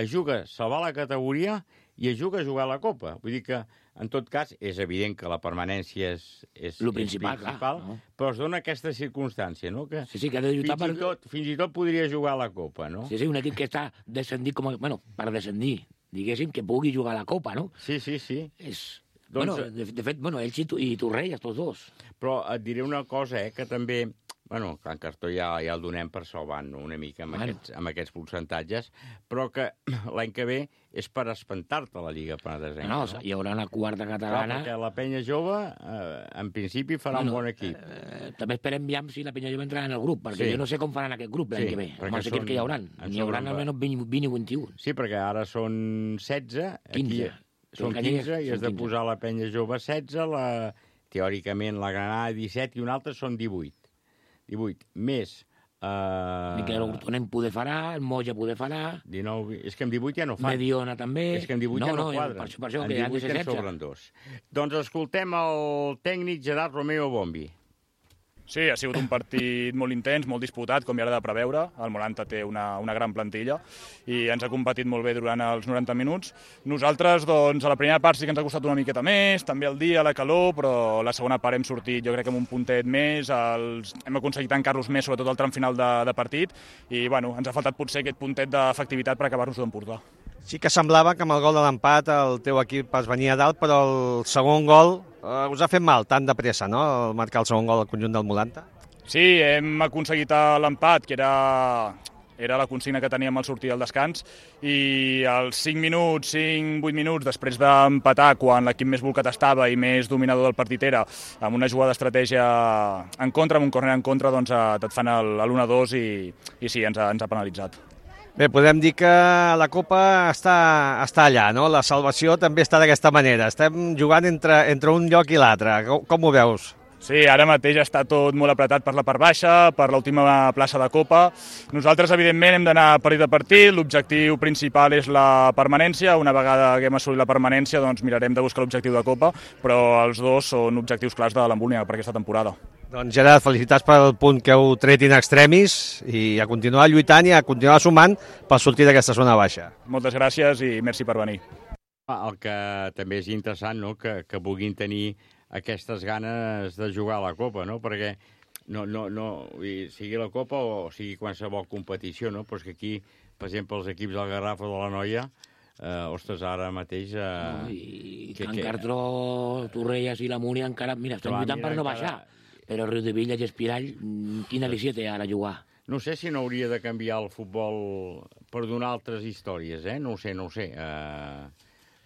es juga a salvar la categoria i es juga a jugar a la Copa. Vull dir que, en tot cas, és evident que la permanència és, és, Lo principal, és principal, clar, no? Però es dona aquesta circumstància, no? Que sí, sí, que ha de lluitar fins, per... i tot, fins i tot podria jugar a la Copa, no? Sí, sí, un equip que està descendit com a... Bueno, per descendir, diguéssim, que pugui jugar a la Copa, no? Sí, sí, sí. És... Doncs, bueno, de, de fet, bueno, ells i, tu, i Torrelles, tots dos. Però et diré una cosa, eh, que també... Bueno, Can Cartó ja, ja el donem per salvant una mica amb, bueno. aquests, amb aquests percentatges, però que l'any que ve és per espantar-te la Lliga Penedesenca. No, no, hi haurà una quarta catalana... Clar, perquè la Penya Jove, eh, en principi, farà bueno, un bon equip. Eh, també esperem ja si la Penya Jove entrarà en el grup, perquè sí. Jo no sé com faran aquest grup l'any sí, que ve, amb els equips que hi haurà. N'hi haurà almenys vint, vint i vint i un. Sí, perquè ara són setze. quinze. Aquí, són quinze i has de posar la Penya Jove setze, la, teòricament la Granada disset i una altra són divuit. divuit. Més... Uh... Miquel Hortonem poder farà, el Moja poder farà... dinou... És que en divuit ja no fan. Mediona també... És que en divuit no, ja no, no quadren. Per això, per això, en que divuit ja en sobren dos. Doncs escoltem el tècnic Gerard Romeo Bombi. Sí, ha sigut un partit molt intens, molt disputat, com ja era de preveure. El Moranta té una, una gran plantilla i ens ha competit molt bé durant els noranta minuts. Nosaltres, doncs, a la primera part sí que ens ha costat una miqueta més, també el dia, la calor, però la segona part hem sortit, jo crec que amb un puntet més, els... hem aconseguit tancar-los més, sobretot al tram final de, de partit, i bueno, ens ha faltat potser aquest puntet d'efectivitat per acabar-nos d'emportar. Sí que semblava que amb el gol de l'empat el teu equip es venia a dalt, però el segon gol eh, us ha fet mal, tan de pressa, no?, el marcar el segon gol al conjunt del Molanta. Sí, hem aconseguit l'empat, que era, era la consigna que teníem al sortir del descans, i als cinc minuts, cinc vuit minuts, després d'empatar, quan l'equip més volcat estava i més dominador del partit era, amb una jugada d'estratègia en contra, amb un córner en contra, doncs et fan l'u a dos i, i sí, ens ha, ens ha penalitzat. Bé, podem dir que la Copa està, està allà, no? La salvació també està d'aquesta manera. Estem jugant entre, entre un lloc i l'altre. Com, com ho veus? Sí, ara mateix està tot molt apretat per la part baixa, per l'última plaça de Copa. Nosaltres, evidentment, hem d'anar partit a partit. L'objectiu principal és la permanència. Una vegada que hem assolit la permanència, doncs mirarem de buscar l'objectiu de Copa, però els dos són objectius clars de l'Embúnia per aquesta temporada. Doncs Gerard, felicitats pel punt que heu tret in extremis i a continuar lluitant i a continuar sumant per sortir d'aquesta zona baixa. Moltes gràcies i merci per venir. El que també és interessant, no?, que, que puguin tenir aquestes ganes de jugar a la Copa, no?, perquè no, no, no, sigui la Copa o sigui qualsevol competició, no?, però és que aquí, per exemple, els equips del Garraf o de la Noia, eh, ostres, ara mateix... Eh, no, I que, Can Cartró, Torrelles i la Múnia encara... Mira, estan lluitant per no baixar. Però Riu de Villa i Espirall, quina visió té ara jugar? No sé si no hauria de canviar el futbol per donar altres històries, eh? No ho sé, no ho sé. Eh,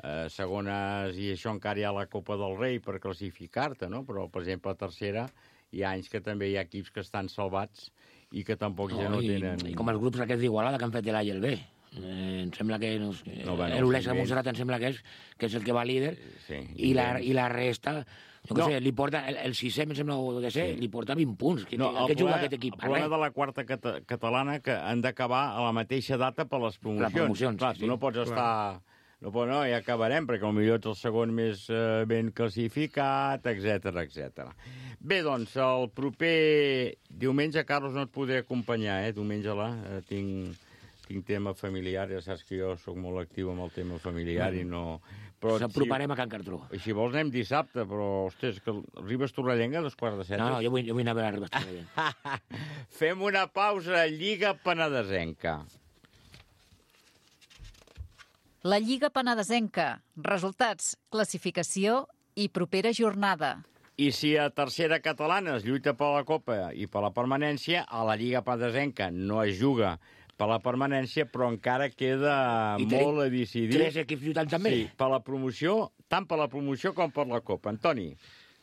eh, segones, i això encara hi ha la Copa del Rei per classificar-te, no? Però, per exemple, a tercera hi ha anys que també hi ha equips que estan salvats i que tampoc no, ja no i, tenen... I com els grups aquests d'Igualada que han fet l'A i el B. Eh, em sembla que... No, no, bueno, l'Olesa de Montserrat em sembla que és, que és el que va líder, sí, i, la, i la resta... Jo no. sé, li porta, el, el sisè, em sembla de ser, sí. li porta vint punts. Que, no, el que juga aquest equip? El problema de la quarta cata catalana que han d'acabar a la mateixa data per les promocions. Les promocions, clar, sí, tu no pots sí. estar... No, no, ja acabarem, perquè potser ets el segon més eh, ben classificat, etcètera, etcètera. Bé, doncs, el proper diumenge, Carlos, no et podré acompanyar, eh? Diumenge la, eh, tinc, tinc tema familiar, ja saps que jo sóc molt actiu amb el tema familiar i no... S'aproparem a Can Cartró. Si vols anem dissabte, però, ostres, que Ribes Torrellenga a dos quarts de set. No, no, jo vull, jo vull anar a veure Ribes Torrellenga. Fem una pausa, Lliga Penedesenca. La Lliga Penedesenca. Resultats, classificació i propera jornada. I si a tercera catalana es lluita per la Copa i per la permanència, a la Lliga Penedesenca no es juga per la permanència, però encara queda I molt a decidir. Tres equips lluitant també? Sí, per la promoció, tant per la promoció com per la Copa. Antoni.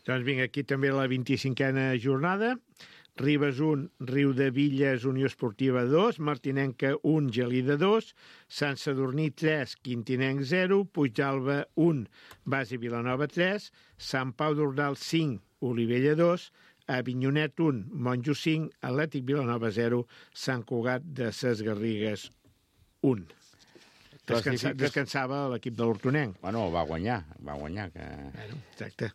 Doncs vinga, aquí també la vint-i-cinquena jornada. Ribes un, Riudevilles, Unió Esportiva dos, Martinenca un, Gelida dos, Sant Sadurní tres, Quintinenc zero, Puigdàlber un, Base Vilanova tres, Sant Pau d'Ordal cinc, Olivella dos, Avinyonet un, Monjos cinc, Atlètic Vilanova zero, Sant Cugat de Ses Garrigues un. Descansa, descansava l'equip de l'Hortonenc. Bueno, va guanyar, va guanyar. Que... Bueno, exacte.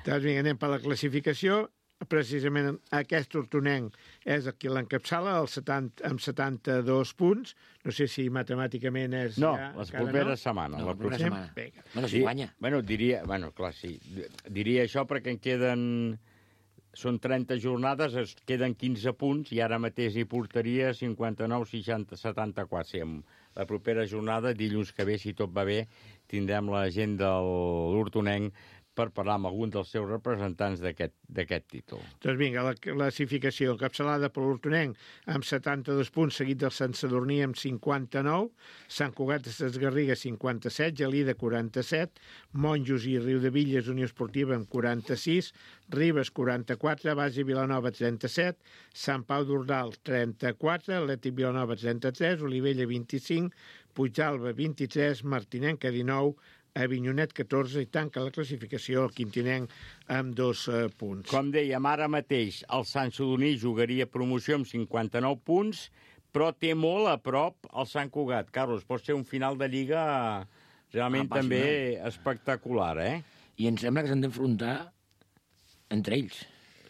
Doncs vinga, anem per la classificació. Precisament aquest hortonenc és el que l'encapçala el setanta, amb setanta-dos punts. No sé si matemàticament és... No, ja, les properes no? setmanes. No, la propera setmana. Vinga. Bueno, si guanya. Bueno, diria, bueno, clar, sí. Diria això perquè en queden... Són trenta jornades, es queden quinze punts i ara mateix hi portaria cinquanta-nou, seixanta, setanta-quatre. Sí, la propera jornada, dilluns que ve, si tot va bé, tindrem la gent de l'Hortonenc per parlar amb algun dels seus representants d'aquest títol. Doncs vinga, la classificació encapçalada per l'Hortonenc amb setanta-dos punts, seguit del Sant Sadurní amb cinquanta-nou, Sant Cugat de Ses Garrigues cinquanta-set, Gelida quaranta-set, Monjos i Riudevilles Unió Esportiva amb quaranta-sis, Ribes quaranta-quatre, Base Vilanova trenta-set, Sant Pau d'Ordal trenta-quatre, Atlètic Vilanova trenta-tres, Olivella vint-i-cinc, Puigdàlber vint-i-tres, Martinenca dinou, Avinyonet catorze i tanca la classificació el Quintinenc amb dos uh, punts. Com dèiem, ara mateix el Sant Sadurní jugaria promoció amb cinquanta-nou punts, però té molt a prop el Sant Cugat. Carlos, pot ser un final de Lliga realment ah, també espectacular, eh? I em sembla que s'han d'enfrontar entre ells.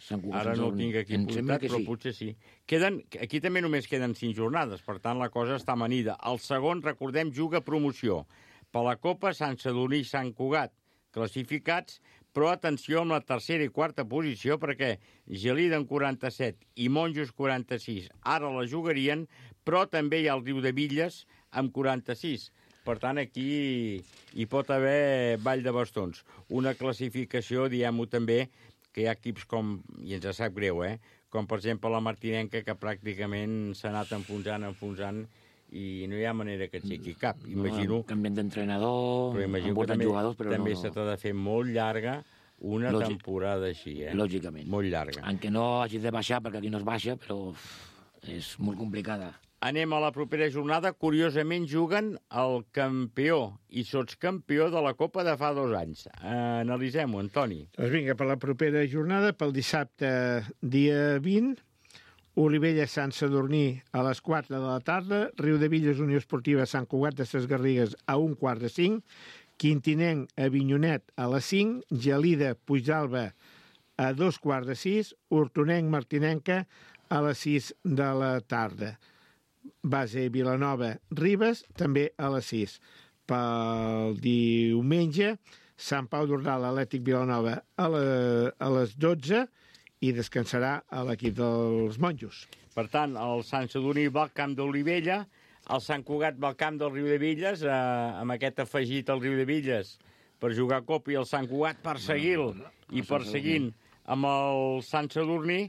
Sant Cugat, ara no ho tinc aquí apuntat, però sí. Potser sí. Queden, aquí també només queden cinc jornades, per tant la cosa està amanida. El segon, recordem, juga promoció. Per la Copa, Sant Sadurní i Sant Cugat classificats, però atenció amb la tercera i quarta posició, perquè Gelida en quaranta-set i Monjos quaranta-sis ara la jugarien, però també hi ha el Riudevilles amb quaranta-sis. Per tant, aquí hi pot haver ball de bastons. Una classificació, diguem-ho també, que hi ha equips com, i ens sap greu, eh? Com per exemple la Martinenca, que pràcticament s'ha anat enfonsant, enfonsant, i no hi ha manera que aixequi cap. Imagino... No, canvien d'entrenador, han portat jugadors, però també no... se t'ha de fer molt llarga una Lògic. temporada així, eh? Lògicament. Molt llarga. Aunque no hagi de baixar, perquè aquí no es baixa, però és molt complicada. Anem a la propera jornada. Curiosament juguen el campió i sotscampió de la Copa de fa dos anys. Uh, Analitzem-ho, Antoni. Doncs vinga, per la propera jornada, pel dissabte dia vint, Olivella Sant Sadurní a les quatre de la tarda, Riudevilles Unió Esportiva Sant Cugat de Ses Garrigues a un quart de cinc, Quintinenc Avinyonet a les cinc, Gelida Puigdàlber a dos quarts de sis, Hortonenc Martinenca a les sis de la tarda. Base Vilanova Ribes també a les sis. Pel diumenge, Sant Pau d'Ordal Atlètic Vilanova a, la, a les dotze, i descansarà a l'equip dels Monjos. Per tant, el Sant Sadurní va al camp d'Olivella, el Sant Cugat va al camp del Riudevilles, eh, amb aquest afegit al Riudevilles per jugar a Copa, i el Sant Cugat perseguir-lo no, no, no, i perseguint amb el Sant Sadurní,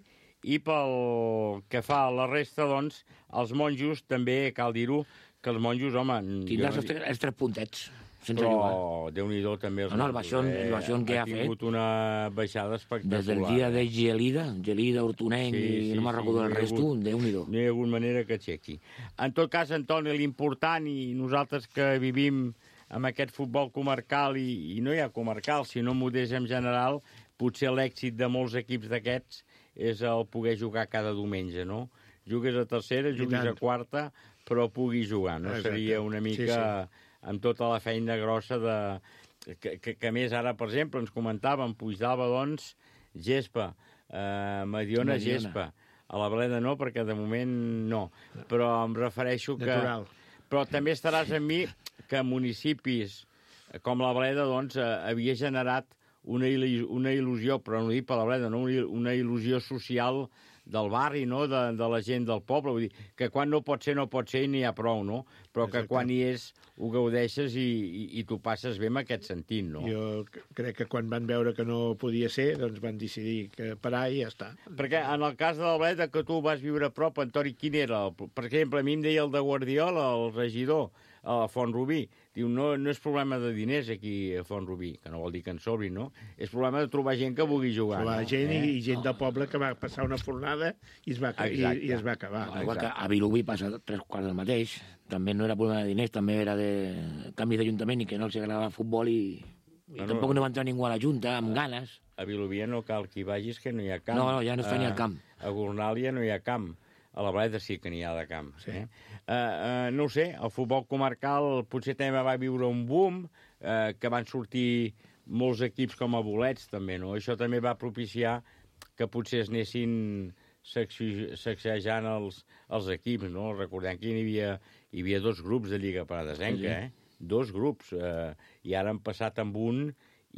i pel que fa a la resta, doncs, els Monjos també, cal dir-ho, que els Monjos, home... Tindràs els, tres, els tres puntets. Però Déu-n'hi-do també els no, no, el baixón, eh, el baixón que ha, ha tingut fet una baixada espectacular. des del dia de Gelida, Gelida, Hortonenc sí, i sí, no me'n sí, recordo el no resto, Déu-n'hi-do. No hi ha hagut manera que aixequi. En tot cas, Antoni, l'important, i nosaltres que vivim amb aquest futbol comarcal, i, i no hi ha comarcal, sinó modest en general, potser l'èxit de molts equips d'aquests és el poder jugar cada diumenge, no? Jugues a tercera, jugues a quarta, però puguis jugar, no? Exacte. Seria una mica... Sí, sí. Amb tota la feina grossa de... Que, que, que més ara, per exemple, ens comentàvem, Puigdàlber, doncs, gespa, eh, Mediona, Mediona, gespa. A la Bleda no, perquè de moment no. Però em refereixo que... Natural. Però també estaràs amb mi que municipis com la Bleda, doncs, eh, havia generat una, il·lu una il·lusió, però no ho dic per la Bleda, no? Una il·lusió social del barri, no? de, de la gent del poble. Vull dir, que quan no pot ser, no pot ser i n'hi ha prou, no? Però que Exacte. quan hi és ho gaudeixes i, i, i t'ho passes bé amb aquest sentit, no? Jo crec que quan van veure que no podia ser, doncs van decidir que parar i ja està. Perquè en el cas de la Bleda, que tu vas viure a prop, Antoni, quin era? Per exemple, a mi em deia el de Guardiola, el regidor, a Font-rubí. Diu, no, no és problema de diners aquí a Font-rubí, que no vol dir que en sobri, no? És problema de trobar gent que vulgui jugar. Trobar no? gent eh? i gent del poble que va passar una fornada i es va, i, i es va acabar. Igual que a Vilobí passa tres quarts del mateix. També no era problema de diners, també era de canvis d'Ajuntament i que no els agradava el futbol i, i No, no. tampoc no va entrar ningú a la Junta amb ganes. A Vilobí no cal que hi vagis, que no hi ha camp. No, no, ja no està ni al camp. A Gornàlia no hi ha camp. A la Bleda sí que n'hi ha de camp. Sí. Eh? Uh, uh, no ho sé, el futbol comarcal potser també va viure un boom, uh, que van sortir molts equips com a bolets, també, no? Això també va propiciar que potser es anessin sacsejant els, els equips, no? Recordem que hi havia, hi havia dos grups de Lliga Penedesenca, Sí. eh? Dos grups, eh? I ara han passat amb un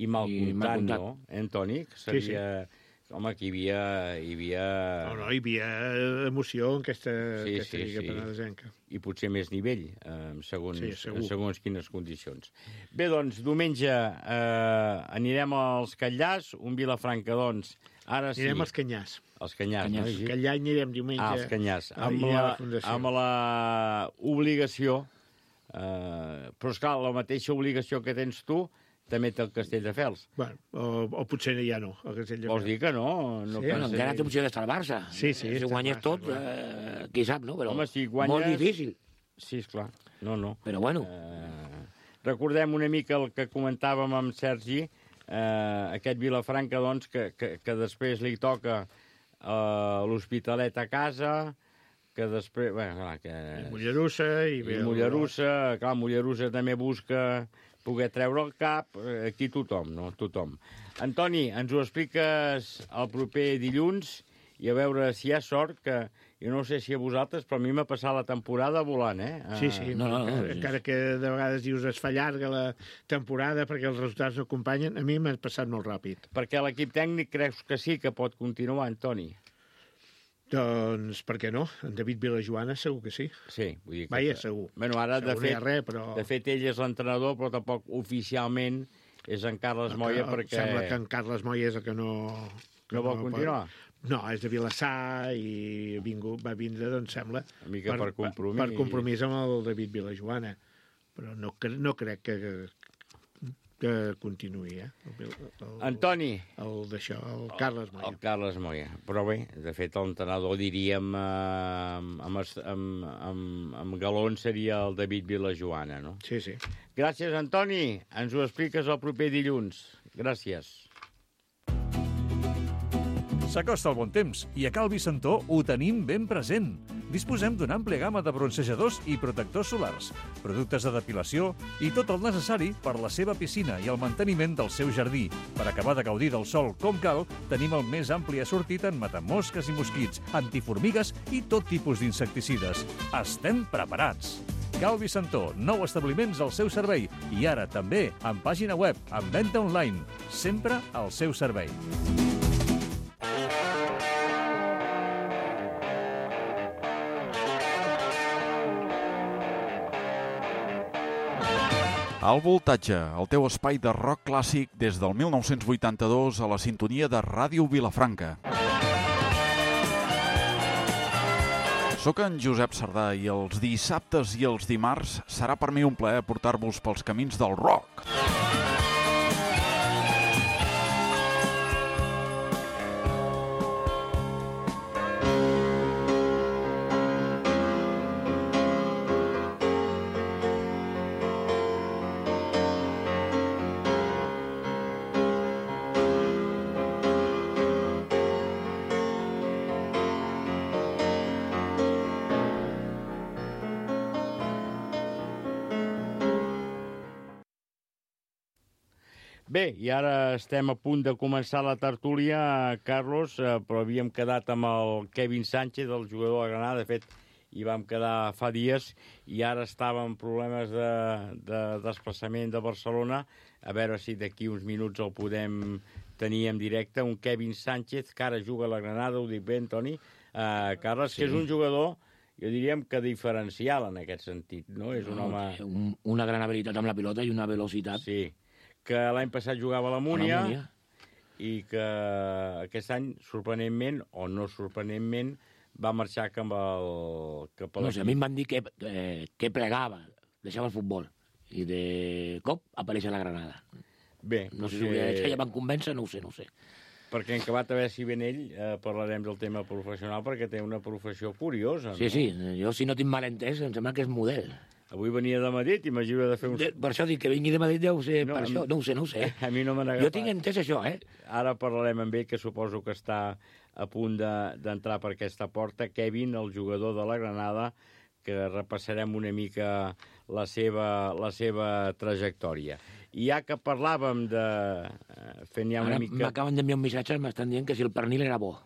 i mal I mal comptant, comptat. no? Eh, Antoni? Que Sí, sí. seria... Home, que hi havia... Hi havia... No, no, hi havia emoció en aquesta, Sí, aquesta sí, Lliga sí. Penedesenca. I potser més nivell, eh, en, segons, Sí, sí, segur. en segons quines condicions. Bé, doncs, diumenge eh, anirem als Catllars, un Vilafranca, doncs, ara sí... Anirem als Canyars. Els Canyars, Canyars. no? Gigi? Aquell any anirem diumenge. Ah, els Canyars. a- Amb i a la, la Fundació. amb la obligació, eh, però, esclar, la mateixa obligació que tens tu, també té el Castelldefels. Bueno, o, o potser ja no. El Castell de Vols dir que no? no Sí, Bueno, penses- encara té opció d'estar al Barça. Sí, sí, Si està guanyes al Barça, tot, clar. eh, qui sap, no? Però Home, si guanyes... molt difícil. Sí, esclar. No, no. Però bueno, Eh, recordem una mica el que comentàvem amb Sergi, eh, aquest Vilafranca, doncs, que, que, que després li toca eh, l'Hospitalet a casa, que després... Bé, clar, que... I Mollerussa i, I Mollerussa, clar, Mollerussa també busca poder treure el cap, eh, aquí tothom, no? Tothom. Antoni, ens ho expliques el proper dilluns i a veure si hi ha sort, que jo no sé si a vosaltres, però a mi m'ha passat la temporada volant, eh? Sí, sí, No, no, no, encara, sí. encara que de vegades dius es fa llarga la temporada perquè els resultats no acompanyen, a mi m'ha passat molt ràpid. Perquè l'equip tècnic creus que sí que pot continuar, Antoni? Doncs, per què no? En David Vilajoana segur que sí. Sí, vull dir que... Vaja, segur. Bueno, ara, de Segur no hi fet, ha res, però... de fet, ell és l'entrenador, però tampoc oficialment és en Carles Moya, El- perquè... Sembla que en Carles Moya és el que no... que No vol continuar? No, és de Vilassar i vingu, va vindre, doncs, sembla... Una mica per compromís. Per compromís amb el David Vilajoana. Però no, cre- no crec que, que continuï, eh? El, el, Antoni. El d'això, el Carles Moya. El Carles Moya. Però bé, de fet, l'entrenador, diríem, eh, amb, amb, amb, amb, amb galons seria el David Vilajoana, no? Sí, sí. Gràcies, Antoni. Ens ho expliques el proper dilluns. Gràcies. S'acosta el bon temps i a Cal Vicentó ho tenim ben present. Disposem d'una àmplia gamma de bronzejadors i protectors solars, productes de depilació i tot el necessari per la seva piscina i el manteniment del seu jardí. Per acabar de gaudir del sol com cal, tenim el més ampli assortit en matamosques i mosquits, antiformigues i tot tipus d'insecticides. Estem preparats! Cal Vicentó, nou establiments al seu servei i ara també amb pàgina web, amb venda online, sempre al seu servei. Al Voltatge, el teu espai de rock clàssic des del mil nou-cents vuitanta-dos a la sintonia de Ràdio Vilafranca. Soc en Josep Sardà i els dissabtes i els dimarts serà per mi un plaer portar-vos pels camins del rock. Bé, i ara estem a punt de començar la tertúlia, Carlos, però havíem quedat amb el Kevin Sánchez, el jugador de Granada. De fet, hi vam quedar fa dies i ara estava amb problemes de, de desplaçament de Barcelona. A veure si d'aquí uns minuts el podem tenir en directe. Un Kevin Sánchez, que ara juga a la Granada, ho dic bé, Toni. Uh, Carles, sí. Que és un jugador, jo diríem que diferencial en aquest sentit, no? És un no, home... Un, una gran habilitat amb la pilota i una velocitat. Sí, que l'any passat jugava a la Múnia i que aquest any, sorprenentment, o no sorprenentment, va marxar cap al... Cap a no sé, a mi em van dir que, eh, que plegava, deixava el futbol, i de cop apareix a la Granada. Bé, no sé que... si ja van convèncer, no ho sé, no ho sé. Perquè en acabat a veure si ven ell, eh, parlarem del tema professional, perquè té una professió curiosa, no? Sí, sí, jo si no tinc mal entès, em sembla que és model. Avui venia de Madrid, imagino de fer un... De, per això dic que vingui de Madrid, deu ser no, per això, no ho sé, no ho sé. A mi no me n'ha agafat. Jo tinc entès això, eh? Ara parlarem amb ell, que suposo que està a punt d'entrar de, per aquesta porta. Kevin, el jugador de la Granada, que repassarem una mica la seva, la seva trajectòria. I ja que parlàvem de... Fent ja una Ara mica... m'acaben d'enviar un missatge, m'estan dient que si el pernil era bo.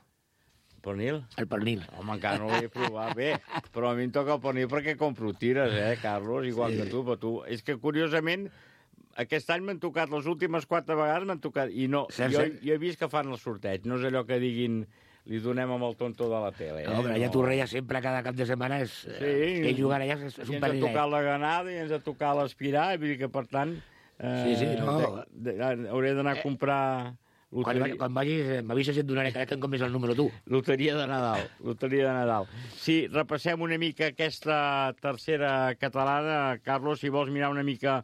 Pernil? El pernil. Home, encara no l'he provat. Bé, però a mi em toca el pernil perquè compro tires, eh, Carlos? Igual sí. que tu, però tu... És que, curiosament, aquest any m'han tocat, les últimes quatre vegades m'han tocat, i no, cert, jo, cert. jo he vist que fan el sorteig, no és allò que diguin li donem amb el tonto de la tele. Eh? No, però ja no. Tu reia sempre, cada cap de setmana, és, sí, que jugar allà és, és un I ens pernil. ha tocat la Granada i ens ha tocat l'Aspirar, vull dir que, per tant, eh, sí, sí, no. de, de, hauré d'anar a comprar... Quan, quan vagis, m'avises i et donaré, crec que em compris el número tu. Loteria de Nadal, loteria de Nadal. Sí, repassem una mica aquesta tercera catalana. Carlos, si vols mirar una mica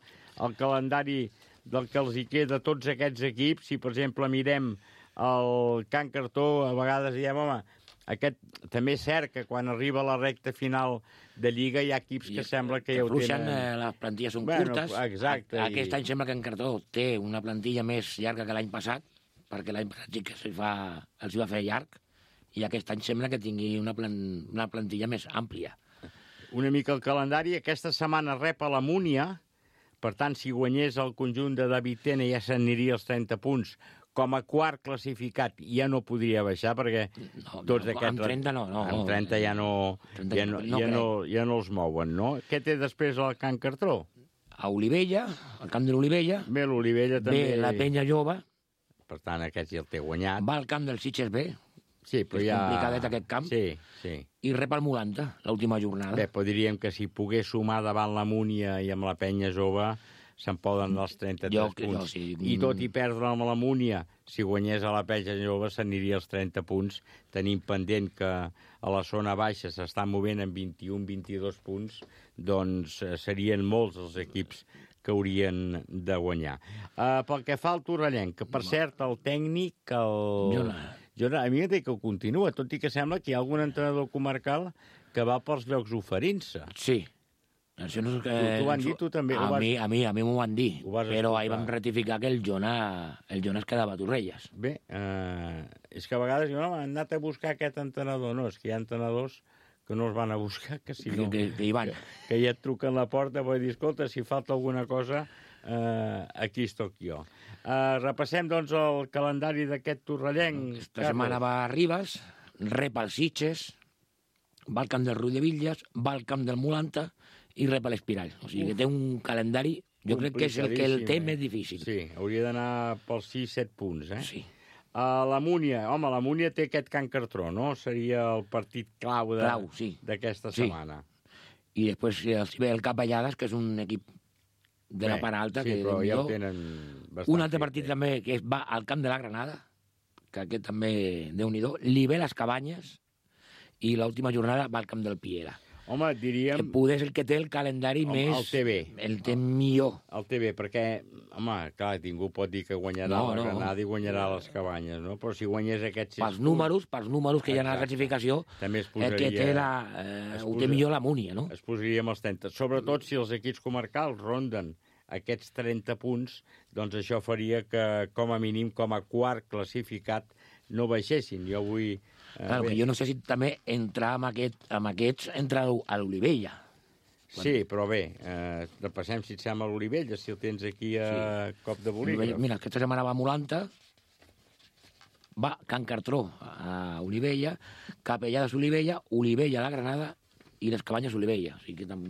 el calendari del que els hi queda a tots aquests equips, si per exemple mirem el Can Cartó, a vegades diem, home, aquest també és cert que quan arriba la recta final de Lliga hi ha equips que I, sembla que, que ja ho tenen... Eh, les plantilles són bueno, curtes. Exacte. A, aquest i... any sembla que en Cartó té una plantilla més llarga que l'any passat, perquè l'any passat sí que els va, els va fer llarg, i aquest any sembla que tingui una, plan, una plantilla més àmplia. Una mica el calendari. Aquesta setmana rep a la Múnia, per tant, si guanyés el conjunt de David Tena ja s'aniria als trenta punts. Com a quart classificat ja no podria baixar, perquè no, tots no, aquests... Amb trenta no. no amb trenta ja no, trenta ja, no, no, ja, no, ja no els mouen, no? Què té després el Can Cartró? A Olivella, al camp de l'Olivella. Bé, l'Olivella també... Bé, la Penya Jove. Per tant, aquest ja el té guanyat. Va al camp del Sitges B. Sí, però és ja... complicadet aquest camp. Sí, sí. I rep el Molanta, l'última jornada. Bé, però diríem que si pogués sumar davant la Múnia i amb la Penya Jove, se'n poden anar els trenta-tres jo, punts. Jo, sí. I tot i perdre amb la Múnia, si guanyés a la Penya Jove, s'aniria als trenta punts, tenint pendent que a la zona baixa s'estan movent en vint-i-un vint-i-dos punts, doncs serien molts els equips que haurien de guanyar. Uh, pel que fa al Torrellenc, que per cert, el tècnic, el... Jona. Jona, a mi m'ha dit que continua, tot i que sembla que hi ha algun entrenador comarcal que va pels llocs oferint-se. Sí. Això no és que... Tu, tu ho han dit, tu també? A, vas... mi, a mi, a mi m'ho van dir, però escoltar. ahir vam ratificar que el Jona, el Jona es quedava a Torrelles. Bé, eh, és que a vegades diuen, no, han anat a buscar aquest entrenador. No, és que hi ha entrenadors que no els van a buscar, que si no... Que, que hi van. Que, que ja et truquen a la porta, vull dir, escolta, si falta alguna cosa, eh, aquí estoc jo. Eh, repassem, doncs, el calendari d'aquest torrellenc. Esta setmana va a Ribes, rep el Sitges, va al camp del Rull de Villas, va al camp del Molanta i rep a l'Espiral. O sigui que té un calendari, jo crec que és el que el té més difícil. Sí, hauria d'anar pels sis set punts, eh? Sí. Uh, la Múnia, home, la Múnia té aquest Can Cartró, no? Seria el partit clau de, clau, sí. d'aquesta sí. setmana. I després si ve el Capellades, que és un equip de Bé, la part alta. Sí, que però ja ho tenen bastant. Un altre partit fet, també que va al camp de la Granada, que aquest també, Déu-n'hi-do, li ve les Cabanyes, i l'última jornada va al camp del Piera. Home, diríem... Que poder és el que té el calendari home, més... El T V. El té millor. El T V, perquè, home, clar, ningú pot dir que guanyarà no, la Granada no. i guanyarà les Cabanyes, no? Però si guanyés aquests... Pels números, pels números que hi ha a la classificació, també es posaria, el que té la, eh, ho té millor la Múnia, no? Es posaria amb els trenta. Sobretot si els equips comarcals ronden aquests trenta punts, doncs això faria que, com a mínim, com a quart classificat, no baixessin. Jo vull... Eh, claro, que jo no sé si també entrar amb, aquest, amb aquests entra a l'Olivella. Sí, però bé, eh, repassem, si et sembla, l'Olivella, si el tens aquí a sí. cop de bolígraf. Mira, aquesta setmana va a Molanta, va Can Cartró a Olivella, Capellades Olivella, Olivella a la Granada i les Cabanyes Olivella. O sigui que tam...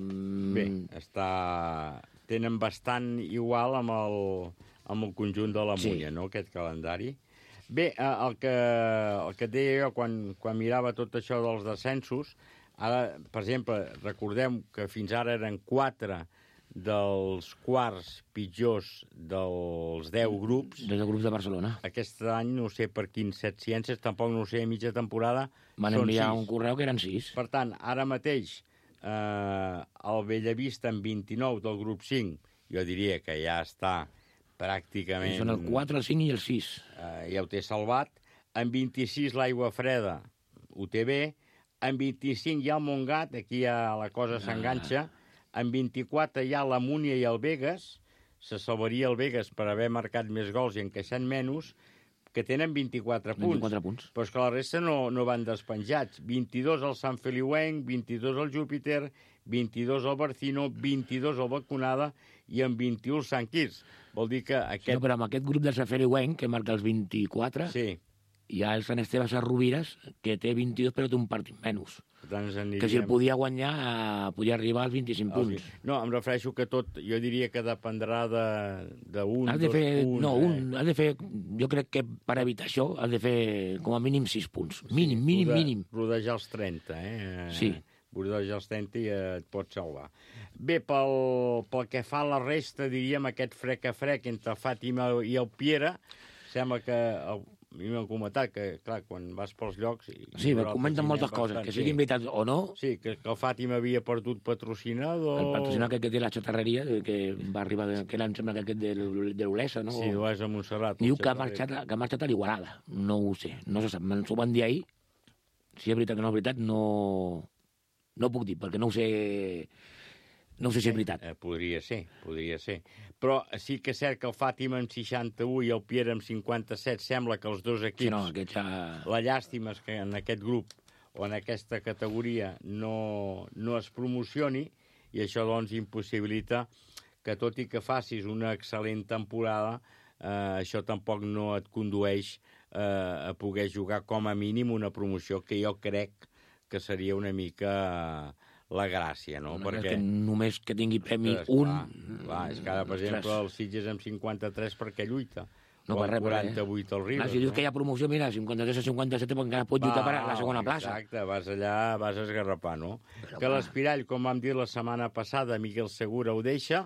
Bé, està... tenen bastant igual amb el, amb el conjunt de la Múnia, sí. no?, aquest calendari. Bé, el que, el que et deia jo quan, quan mirava tot això dels descensos, ara, per exemple, recordem que fins ara eren quatre dels quarts pitjors dels deu grups. Dels grups de Barcelona. Aquest any, no sé per quins set ciències, tampoc no sé, a mitja temporada, van enviar un correu que eren sis. Per tant, ara mateix, eh, el Bellavista amb vint-i-nou del grup cinc, jo diria que ja està pràcticament... I són el quatre, el cinc i el sis. Eh, ja ho té salvat. En vint-i-sis l'Aigua Freda ho té bé. En vint-i-cinc hi ha el Montgat, aquí ja la cosa ah. s'enganxa. En vint-i-quatre hi ha la Múnia i el Begues, se salvaria el Begues per haver marcat més gols i encaixant menys, que tenen vint-i-quatre punts. vint-i-quatre punts. Però és que la resta no, no van despenjats. vint-i-dos al Sant Feliuenc, vint-i-dos al Júpiter, vint-i-dos al Barcino, vint-i-dos al Vacunada i en vint-i-u al Sant Quirze. Vol dir que aquest... No, però amb aquest grup del Sant Feliuenc, que marca els vint-i-quatre... Sí. Hi ha el Sant Esteve Sarrovires, que té vint-i-dos, però té un partit menys. Aniríem... Que si el podia guanyar, eh, podia arribar als vint-i-cinc punts. No, em refereixo que tot, jo diria que dependrà d'un, dos, fer, un... No, un, eh? has de fer, jo crec que per evitar això, has de fer com a mínim sis punts. Mínim, sí, mínim, rode, mínim. Rodejar els trenta, eh? Sí. Rodejar els trenta i et pot salvar. Bé, pel, pel que fa a la resta, diríem, aquest frec a frec entre Fàtima i el Piera, sembla que... El, a mi m'han comentat que, clar, quan vas pels llocs... Sí, me comenten moltes coses, bastant, que siguin sí. veritat o no... Sí, que, que el Fàtima havia perdut patrocinador... El patrocinador que té la xatarreria, que va arribar, que era, em sembla, que aquest de l'Olesa, no? Sí, l'Olesa a Montserrat. Diu que ha, marxat, que ha marxat a l'Igualada. No ho sé, no se sap. Ens ho van dir ahir. Si és veritat que no és veritat, no... No puc dir, perquè no ho sé... No sé si és veritat. Eh, podria ser, podria ser. Però sí que és cert que el Fàtima amb seixanta-u i el Piera amb cinquanta-set sembla que els dos equips... Sí, no, aquest ja... La llàstima és que en aquest grup o en aquesta categoria no, no es promocioni i això doncs impossibilita que tot i que facis una excel·lent temporada, eh, això tampoc no et condueix eh, a poder jugar com a mínim una promoció que jo crec que seria una mica... Eh, la gràcia, no? no perquè... que només que tingui premi Ostres, un... Clar, clar, és que ara, per exemple, el Sitges amb cinquanta-tres perquè lluita. No, o per res, quaranta-vuit al Ribes. Ah, si dius no? que hi ha promoció, mira, cinquanta-tres a cinquanta-set, perquè encara pot lluitar per a la segona plaça. Exacte, vas allà, vas a esgarrapar, no? Però, que l'Espirall, com vam dir la setmana passada, Miquel Segura ho deixa,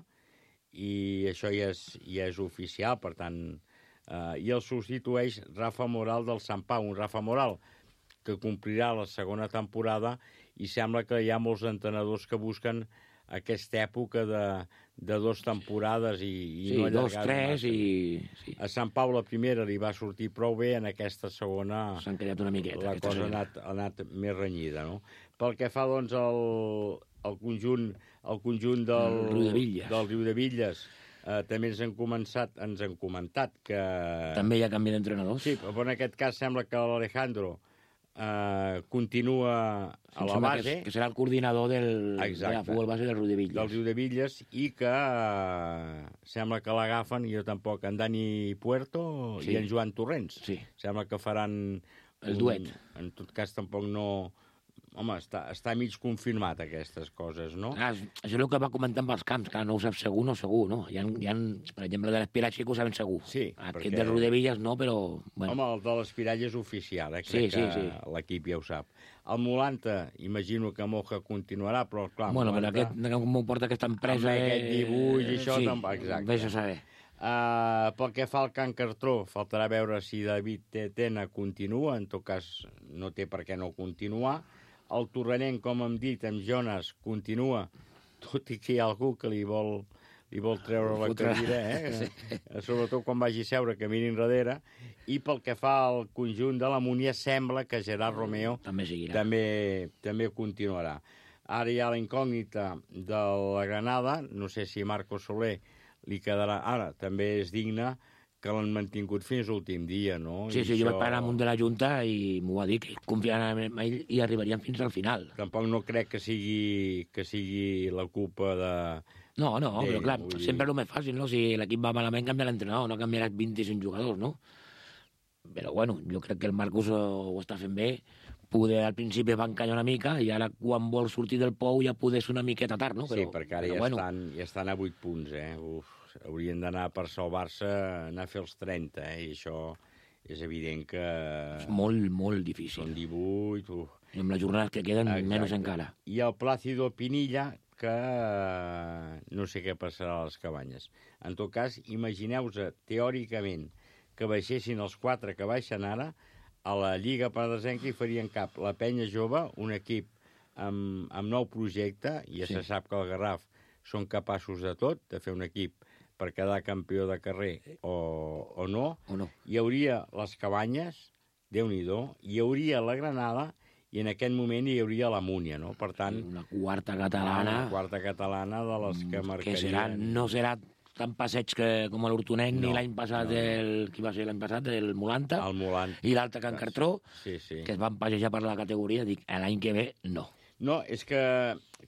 i això ja és, ja és oficial, per tant... Eh, I el substitueix Rafa Moral del Sant Pau, un Rafa Moral que complirà la segona temporada i sembla que hi ha molts entrenadors que busquen aquesta època de, de dues temporades i, i sí, no allargar-ho dos, tres i... Sí. A Sant Pau la primera li va sortir prou bé, en aquesta segona... S'han quedat una miqueta. La cosa ha anat, ha anat més renyida, no? Pel que fa, doncs, el, el conjunt, el conjunt del, el Riu de Villes. del Riu de Villes eh, també ens han, començat, ens han comentat que... També hi ha canvi d'entrenadors. Sí, però en aquest cas sembla que l'Alejandro Uh, continua a la base. Que, que serà el coordinador del, de la futbol base del Riu de Villes. Del Riu de Villes, i que uh, sembla que l'agafen, jo tampoc, en Dani Puerto sí. i en Joan Torrents. Sí. Sembla que faran... El duet. Un, en tot cas, tampoc no... Home, està, està mig confirmat, aquestes coses, no? Ah, això és el que va comentar amb els camps, que no ho sap segur, no segur, no? Hi ha, hi ha per exemple, de l'Espirall sí que ho saben segur. Sí, Aquest perquè... del Riu de Villes no, però... Bueno. Home, el de l'Espirall és oficial, eh? Crec sí, sí, que sí. l'equip ja ho sap. El Molanta, imagino que Moja continuarà, però clar... Bueno, Molanta... però aquest, com ho porta aquesta empresa... Amb aquest dibuix i això... Sí, tampoc, exacte. vés a saber. Uh, pel que fa al Can Cartró, faltarà veure si David Tena continua, en tot cas no té per què no continuar. El Torrenenc, com hem dit, amb Jonas, continua, tot i que hi ha algú que li vol, li vol treure la cadira, eh? Sí. Sobretot quan vagi a seure, que mirin darrere. I pel que fa al conjunt de la Múnia, sembla que Gerard Romeo també, també, també continuarà. Ara hi ha la incògnita de la Granada, no sé si Marco Soler li quedarà... Ara, també és digne que l'han mantingut fins l'últim dia, no? Sí, sí, jo vaig parlar amb un de la Junta i m'ho va dir, que confiaven en ell i arribarien fins al final. Tampoc no crec que sigui, que sigui la culpa de... No, no, però clar, sempre és el més fàcil, no? Si l'equip va malament, canvia l'entrenador, no canviaràs vint-i-cinc jugadors, no? Però bueno, jo crec que el Marcus ho està fent bé. Poder al principi va encallar una mica i ara quan vol sortir del pou ja poder ser una miqueta tard, no? Però, sí, perquè ara ja, bueno. estan, ja estan a vuit punts, eh? Uf, haurien d'anar per salvar-se, anar a fer els trenta, eh? I això és evident que... És molt, molt difícil. Són divuit... Uf. I amb les jornades que queden, Exacte. Menys encara. I el Plácido Pinilla, que no sé què passarà a les cabanyes. En tot cas, imagineu-vos teòricament que baixessin els quatre que baixen ara, a la Lliga Penedesenca hi farien cap la Penya Jove, un equip amb, amb nou projecte, i ja sí. se sap que el Garraf són capaços de tot, de fer un equip per quedar campió de carrer o, o, no. o no. Hi hauria les Cabanyes, Déu-n'hi-do, hi hauria la Granada, i en aquest moment hi hauria la Múnia, no? Per tant... Una quarta catalana... Una quarta catalana de les que marcarien... Que serà, no serà tan passeig que, com l'Hortonenc, no, ni l'any passat, no. el, qui va ser l'any passat, el Molanta, el Molanta. I l'altre Can Cartró, sí, sí. que es van passejar per la categoria, dic, l'any que ve, no. No, és que,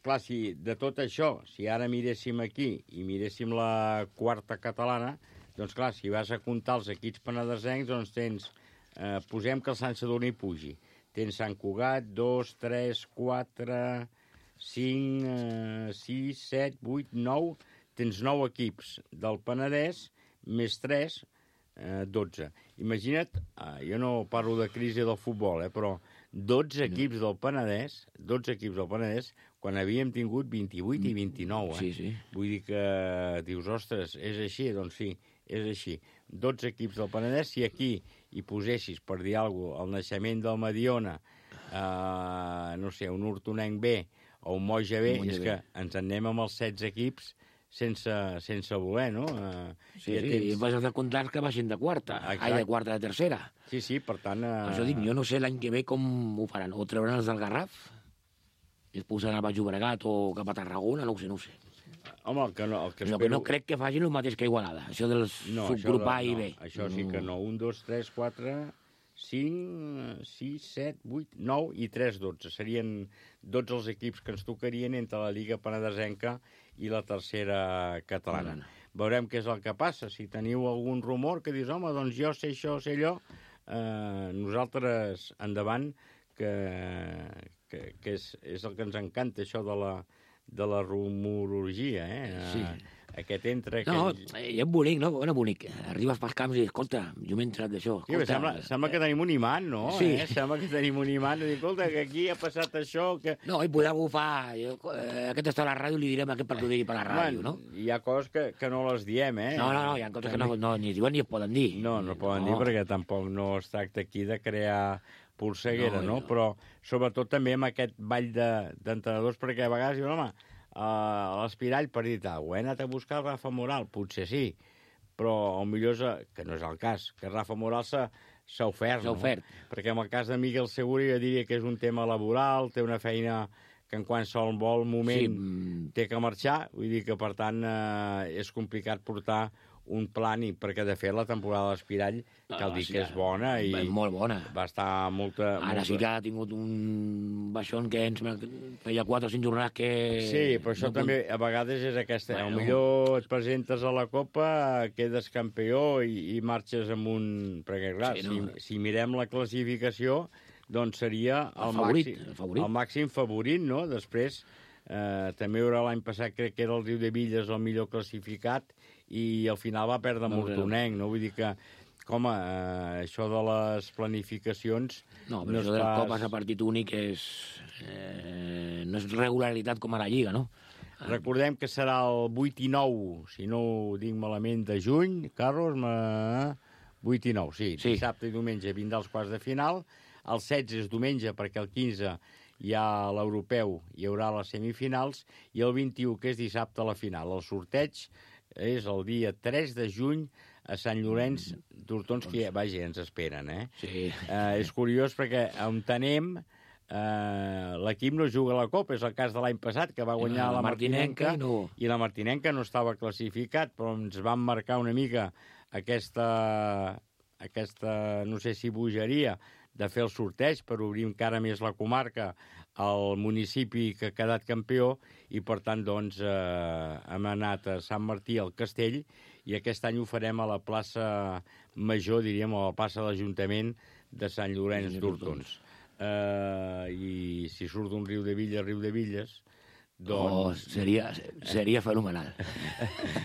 clar, si de tot això, si ara miréssim aquí i miréssim la quarta catalana, doncs clar, si vas a comptar els equips penedesencs, doncs tens, eh, posem que el Sant Sadurní pugi. Tens Sant Cugat, dos, tres, quatre, cinc, eh, sis, set, vuit, nou... Tens nou equips del Penedès, més tres, eh, dotze. Imagina't, eh, jo no parlo de crisi del futbol, eh, però dotze equips del Penedès, dotze equips del Penedès, quan havíem tingut vint-i-vuit i vint-i-nou. Eh? Sí, sí. Vull dir que dius, ostres, és així? Doncs sí, és així. dotze equips del Penedès, si aquí hi posessis, per dir alguna cosa, el naixement del Mediona, eh, no sé, un Hortonenc B o un Moja B, és que ens en anem amb els setze equips sense, sense voler, no? Uh, sí, ja sí, tens... i vas a comptar que baixin de quarta, ai, de quarta de tercera. Sí, sí, per tant... Uh... Això dic, jo no sé l'any que ve com ho faran, o trauran els del Garraf, i es posaran al Baix Llobregat o cap a Tarragona, no ho sé, no ho sé. Home, el que no... El que espero... que no crec que facin el mateix que Igualada, això dels no, subgrupar això de, i bé. No, això sí que no, un, dos, tres, quatre... cinc, sis, set, vuit, nou i tres, dotze. Serien dotze els equips que ens tocarien entre la Lliga Penedesenca i la tercera catalana. Mm. Veurem què és el que passa. Si teniu algun rumor que dius, home, doncs jo sé això, sé allò, eh, nosaltres endavant, que, que, que és, és el que ens encanta, això de la, de la rumorologia, eh? Sí. Aquest entra... No, aquell... i és bonic, no? Bueno, bonic. Arribes pels camps i, escolta, jo m'he entrat d'això. Sí, sembla, sembla que tenim un imant, no? Sí. Eh? Sembla que tenim un imant. Dir, escolta, que aquí ha passat això... Que... No, i podrà bufar. Jo, eh, aquest està a la ràdio, li direm aquest perquè ho digui per la ràdio, no? Hi ha coses que, que no les diem, eh? No, no, no, hi ha coses que no, no ni es diuen ni es poden dir. No, no poden no. dir perquè tampoc no es tracta aquí de crear polseguera, no? no? no? Però sobretot també amb aquest ball d'entrenadors, de, perquè a vegades diuen, home, Uh, l'Espirall per dir tal, ho he anat a buscar Rafa Moral, potser sí, però el millor és, que no és el cas, que Rafa Moral s'ha ofert, no? Perquè en el cas de Miguel Segura jo diria que és un tema laboral, té una feina que en qualsevol moment sí. té que marxar, vull dir que per tant eh, és complicat portar un plani, perquè de fet la temporada de l'Espirall cal dir sí, que és bona i molt bona. Va estar molta... Ara molta... sí que ha tingut un baixón que ens feia quatre o cinc jornades que... Sí, però això no també a vegades és aquesta... Bueno. Millor et presentes a la Copa, quedes campió i, i marxes amb un... Perquè clar, sí, no? si, si mirem la classificació, doncs seria el, el, favorit, màxim, el, favorit. el màxim favorit, no? Després eh, també hi haurà l'any passat, crec que era el Riu de Villes el millor classificat, i al final va perdre no, Hortonenc, no? Vull dir que, com a, eh, això de les planificacions... No, però no això de les pas... copes a partit únic és... Eh, no és regularitat com a la Lliga, no? Recordem que serà el vuit i nou, si no ho dic malament, de juny, Carlos, ma... vuit i nou, sí, sí. Dissabte i diumenge vindrà els quarts de final, el setze és diumenge perquè el quinze hi ha l'europeu, hi haurà les semifinals, i el vint-i-u, que és dissabte, la final. El sorteig és el dia tres de juny a Sant Llorenç d'Hortons, que, vaja, ens esperen, eh? Sí. Eh, és curiós perquè on anem, eh, l'equip no juga a la Copa, és el cas de l'any passat, que va guanyar la, la Martinenca, no. i la Martinenca no estava classificat, però ens van marcar una mica aquesta, aquesta, no sé si bogeria, de fer el sorteig per obrir encara més la comarca al municipi que ha quedat campió i, per tant, doncs, eh, hem anat a Sant Martí al Castell i aquest any ho farem a la plaça Major, diríem, o a la plaça de l'Ajuntament de Sant Llorenç d'Hortons. Eh, I si surt un riu de Villes, riu de Villes, doncs... Oh, seria, seria fenomenal.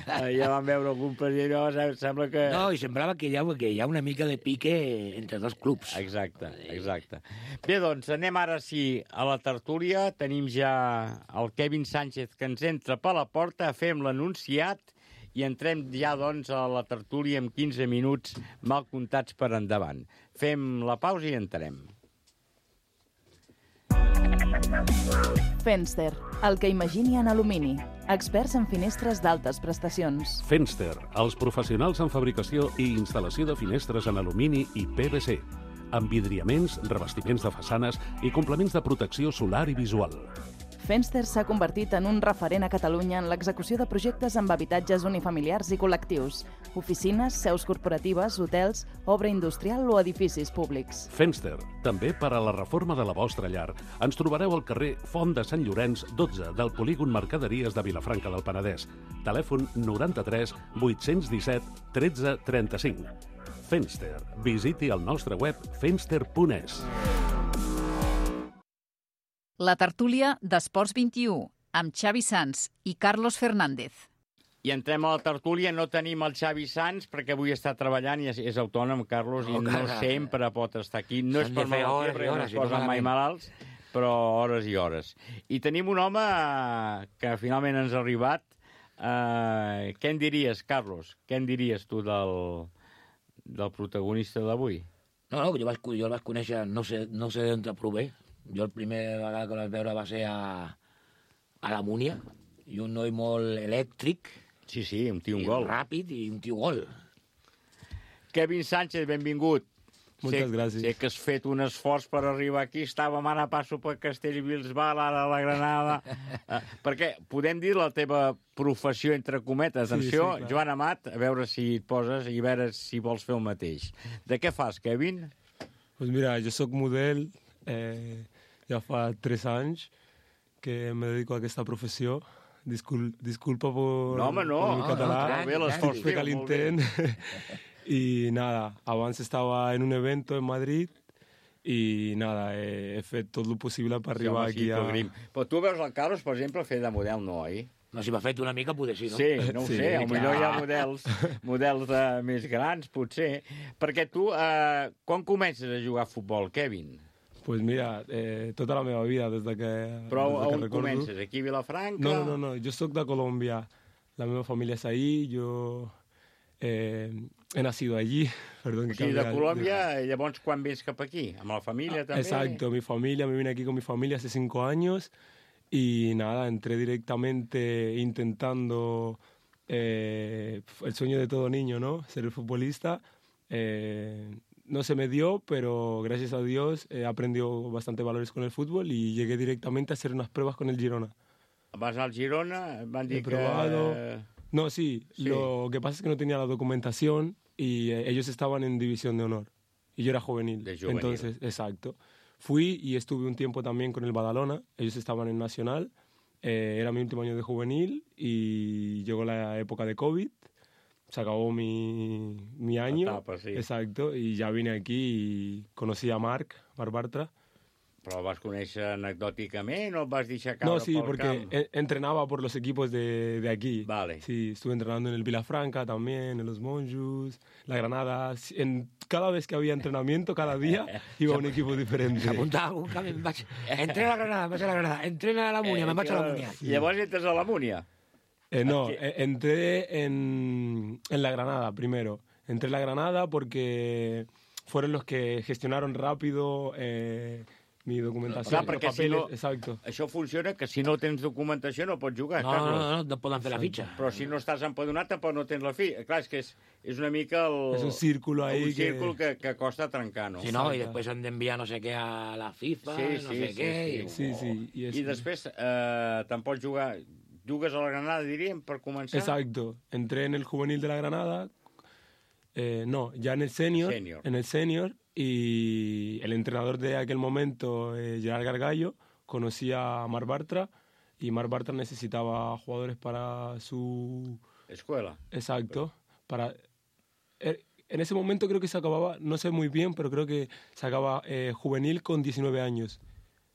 Ja vam veure algun partit, no? Sembla que... No, i semblava que hi, ha, que hi ha una mica de pique entre dos clubs. Exacte, exacte. Bé, doncs, anem ara sí a la tertúlia. Tenim ja el Kevin Sánchez que ens entra per la porta, fem l'anunciat i entrem ja, doncs, a la tertúlia en quinze minuts mal comptats per endavant. Fem la pausa i entrem. Fenster, el que imagini en alumini. Experts en finestres d'altes prestacions. Fenster, els professionals en fabricació i instal·lació de finestres en alumini i P V C, amb vidriaments, revestiments de façanes i complements de protecció solar i visual. Fenster s'ha convertit en un referent a Catalunya en l'execució de projectes amb habitatges unifamiliars i col·lectius, oficines, seus corporatives, hotels, obra industrial o edificis públics. Fenster, també per a la reforma de la vostra llar. Ens trobareu al carrer Font de Sant Llorenç, dotze, del polígon Mercaderies de Vilafranca del Penedès. Telèfon noranta-tres vuit-cents disset tretze trenta-cinc. Fenster. Visiti el nostre web fenster punt es. La tertúlia d'Esports vint-i-u, amb Xavi Sans i Carlos Fernández. I entrem a la tertúlia, no tenim el Xavi Sans perquè avui està treballant i és, és autònom, Carlos, no, i no cara. sempre pot estar aquí. No és per malaltia, perquè no es posen mai malalts, però hores i hores. I tenim un home que finalment ens ha arribat. Uh, què en diries, Carlos? Què en diries tu del, del protagonista d'avui? No, no, jo, vaig, jo el vaig conèixer, no sé, no sé d'on te prové. Jo el primer vegada que el vaig veure va ser a, a la Múnia, i un noi molt elèctric. Sí, sí, un tio un gol. Ràpid i un tio gol. Kevin Sánchez, benvingut. Moltes sé, gràcies. Sé que has fet un esforç per arribar aquí. Estàvem ara a passo per Castellbisbal, ara a la Granada. uh, perquè podem dir la teva professió, entre cometes. Atenció, sí, sí, Joan Amat, a veure si et poses i a veure si vols fer el mateix. De què fas, Kevin? Pues mira, jo sóc model, eh, ja fa tres anys que me dedico a aquesta professió. Discul disculpa por, no, home, no. por mi català, no, no, por fer l'intent. Y nada, abans estava en un evento en Madrid i nada, he, he fet tot el possible per arribar sí, aquí a... Grim. Però tu veus el Carlos, per exemple, fer de model, no, oi? No, si m'ha fet una mica, potser sí, no? Sí, no ho sí, sé, potser hi ha models, models de, més grans, potser. Perquè tu, eh, quan comences a jugar a futbol, Kevin? Pues mira, eh, tota la meva vida, des de que Però des de on que recordo... comences? Aquí a Vilafranca? No, no, no, jo soc de Colòmbia. La meva família és ahí, jo eh, he nacido allí. Perdón, o sigui, de Colòmbia, de... llavors quan vens cap aquí? ¿Amb la familia también? Exacto, mi familia, me vine aquí con mi familia hace cinco años y nada, entré directamente intentando eh, el sueño de todo niño, ¿no? Ser el futbolista. Eh, No se me dio, pero gracias a Dios he aprendido bastante valores con el fútbol y llegué directamente a hacer unas pruebas con el Girona. ¿Vas al Girona? Van He probado... que... No, sí, sí, lo que pasa es que no tenía la documentación y eh, ellos estaban en división de honor y yo era juvenil. De juvenil. Entonces, exacto. Fui y estuve un tiempo también con el Badalona, ellos estaban en Nacional, eh, era mi último año de juvenil y llegó la época de COVID. Se acabó mi, mi año, etapa, sí. Exacto, y ya vine aquí y conocí a Marc, Marc Bartra. Però el vas conèixer anecdòticament o el vas deixar caure no, sí, pel porque camp? En, entrenaba por los equipos de, de aquí. Vale. Sí, estuve entrenando en el Vilafranca también, en los Monjos, la Granada. En, cada vez que había entrenamiento, cada día, iba a un equipo diferente. S'apuntava un camí, em vaig... Entrena a la Granada, em vaig a la Granada. Entrena a la Múnia, eh, me'n vaig a la Múnia. I llavors entres a la Múnia? Eh, no, eh, entré en, en la Granada primero. Entré en la Granada porque fueron los que gestionaron rápido eh, mi documentació. Clar, perquè si no, exacto. Això funciona que si no tens documentació no pots jugar, no, Carlos. No, no, no, no poden fer la fitxa. Però si no estàs empadronat tampoc no tens la fitxa. Clar, és que és, és una mica el... És un círculo ahí un círculo que... que, que costa trencar, no? Sí, no, i després han d'enviar no sé què a la FIFA, sí, no sí, sé sí, què... Sí, sí, sí. I, I després eh, te'n pots jugar... Jugues a la Granada, diríem, per començar? Exacto. Entré en el juvenil de la Granada Eh, no, ya en el senior, Senior. en el senior, y el entrenador de aquel momento, eh, Gerard Gargallo, conocía a Marc Bartra, y Marc Bartra necesitaba jugadores para su... Escuela. Exacto. Para... En ese momento creo que se acababa, no sé muy bien, pero creo que se acaba eh, juvenil con diecinueve años.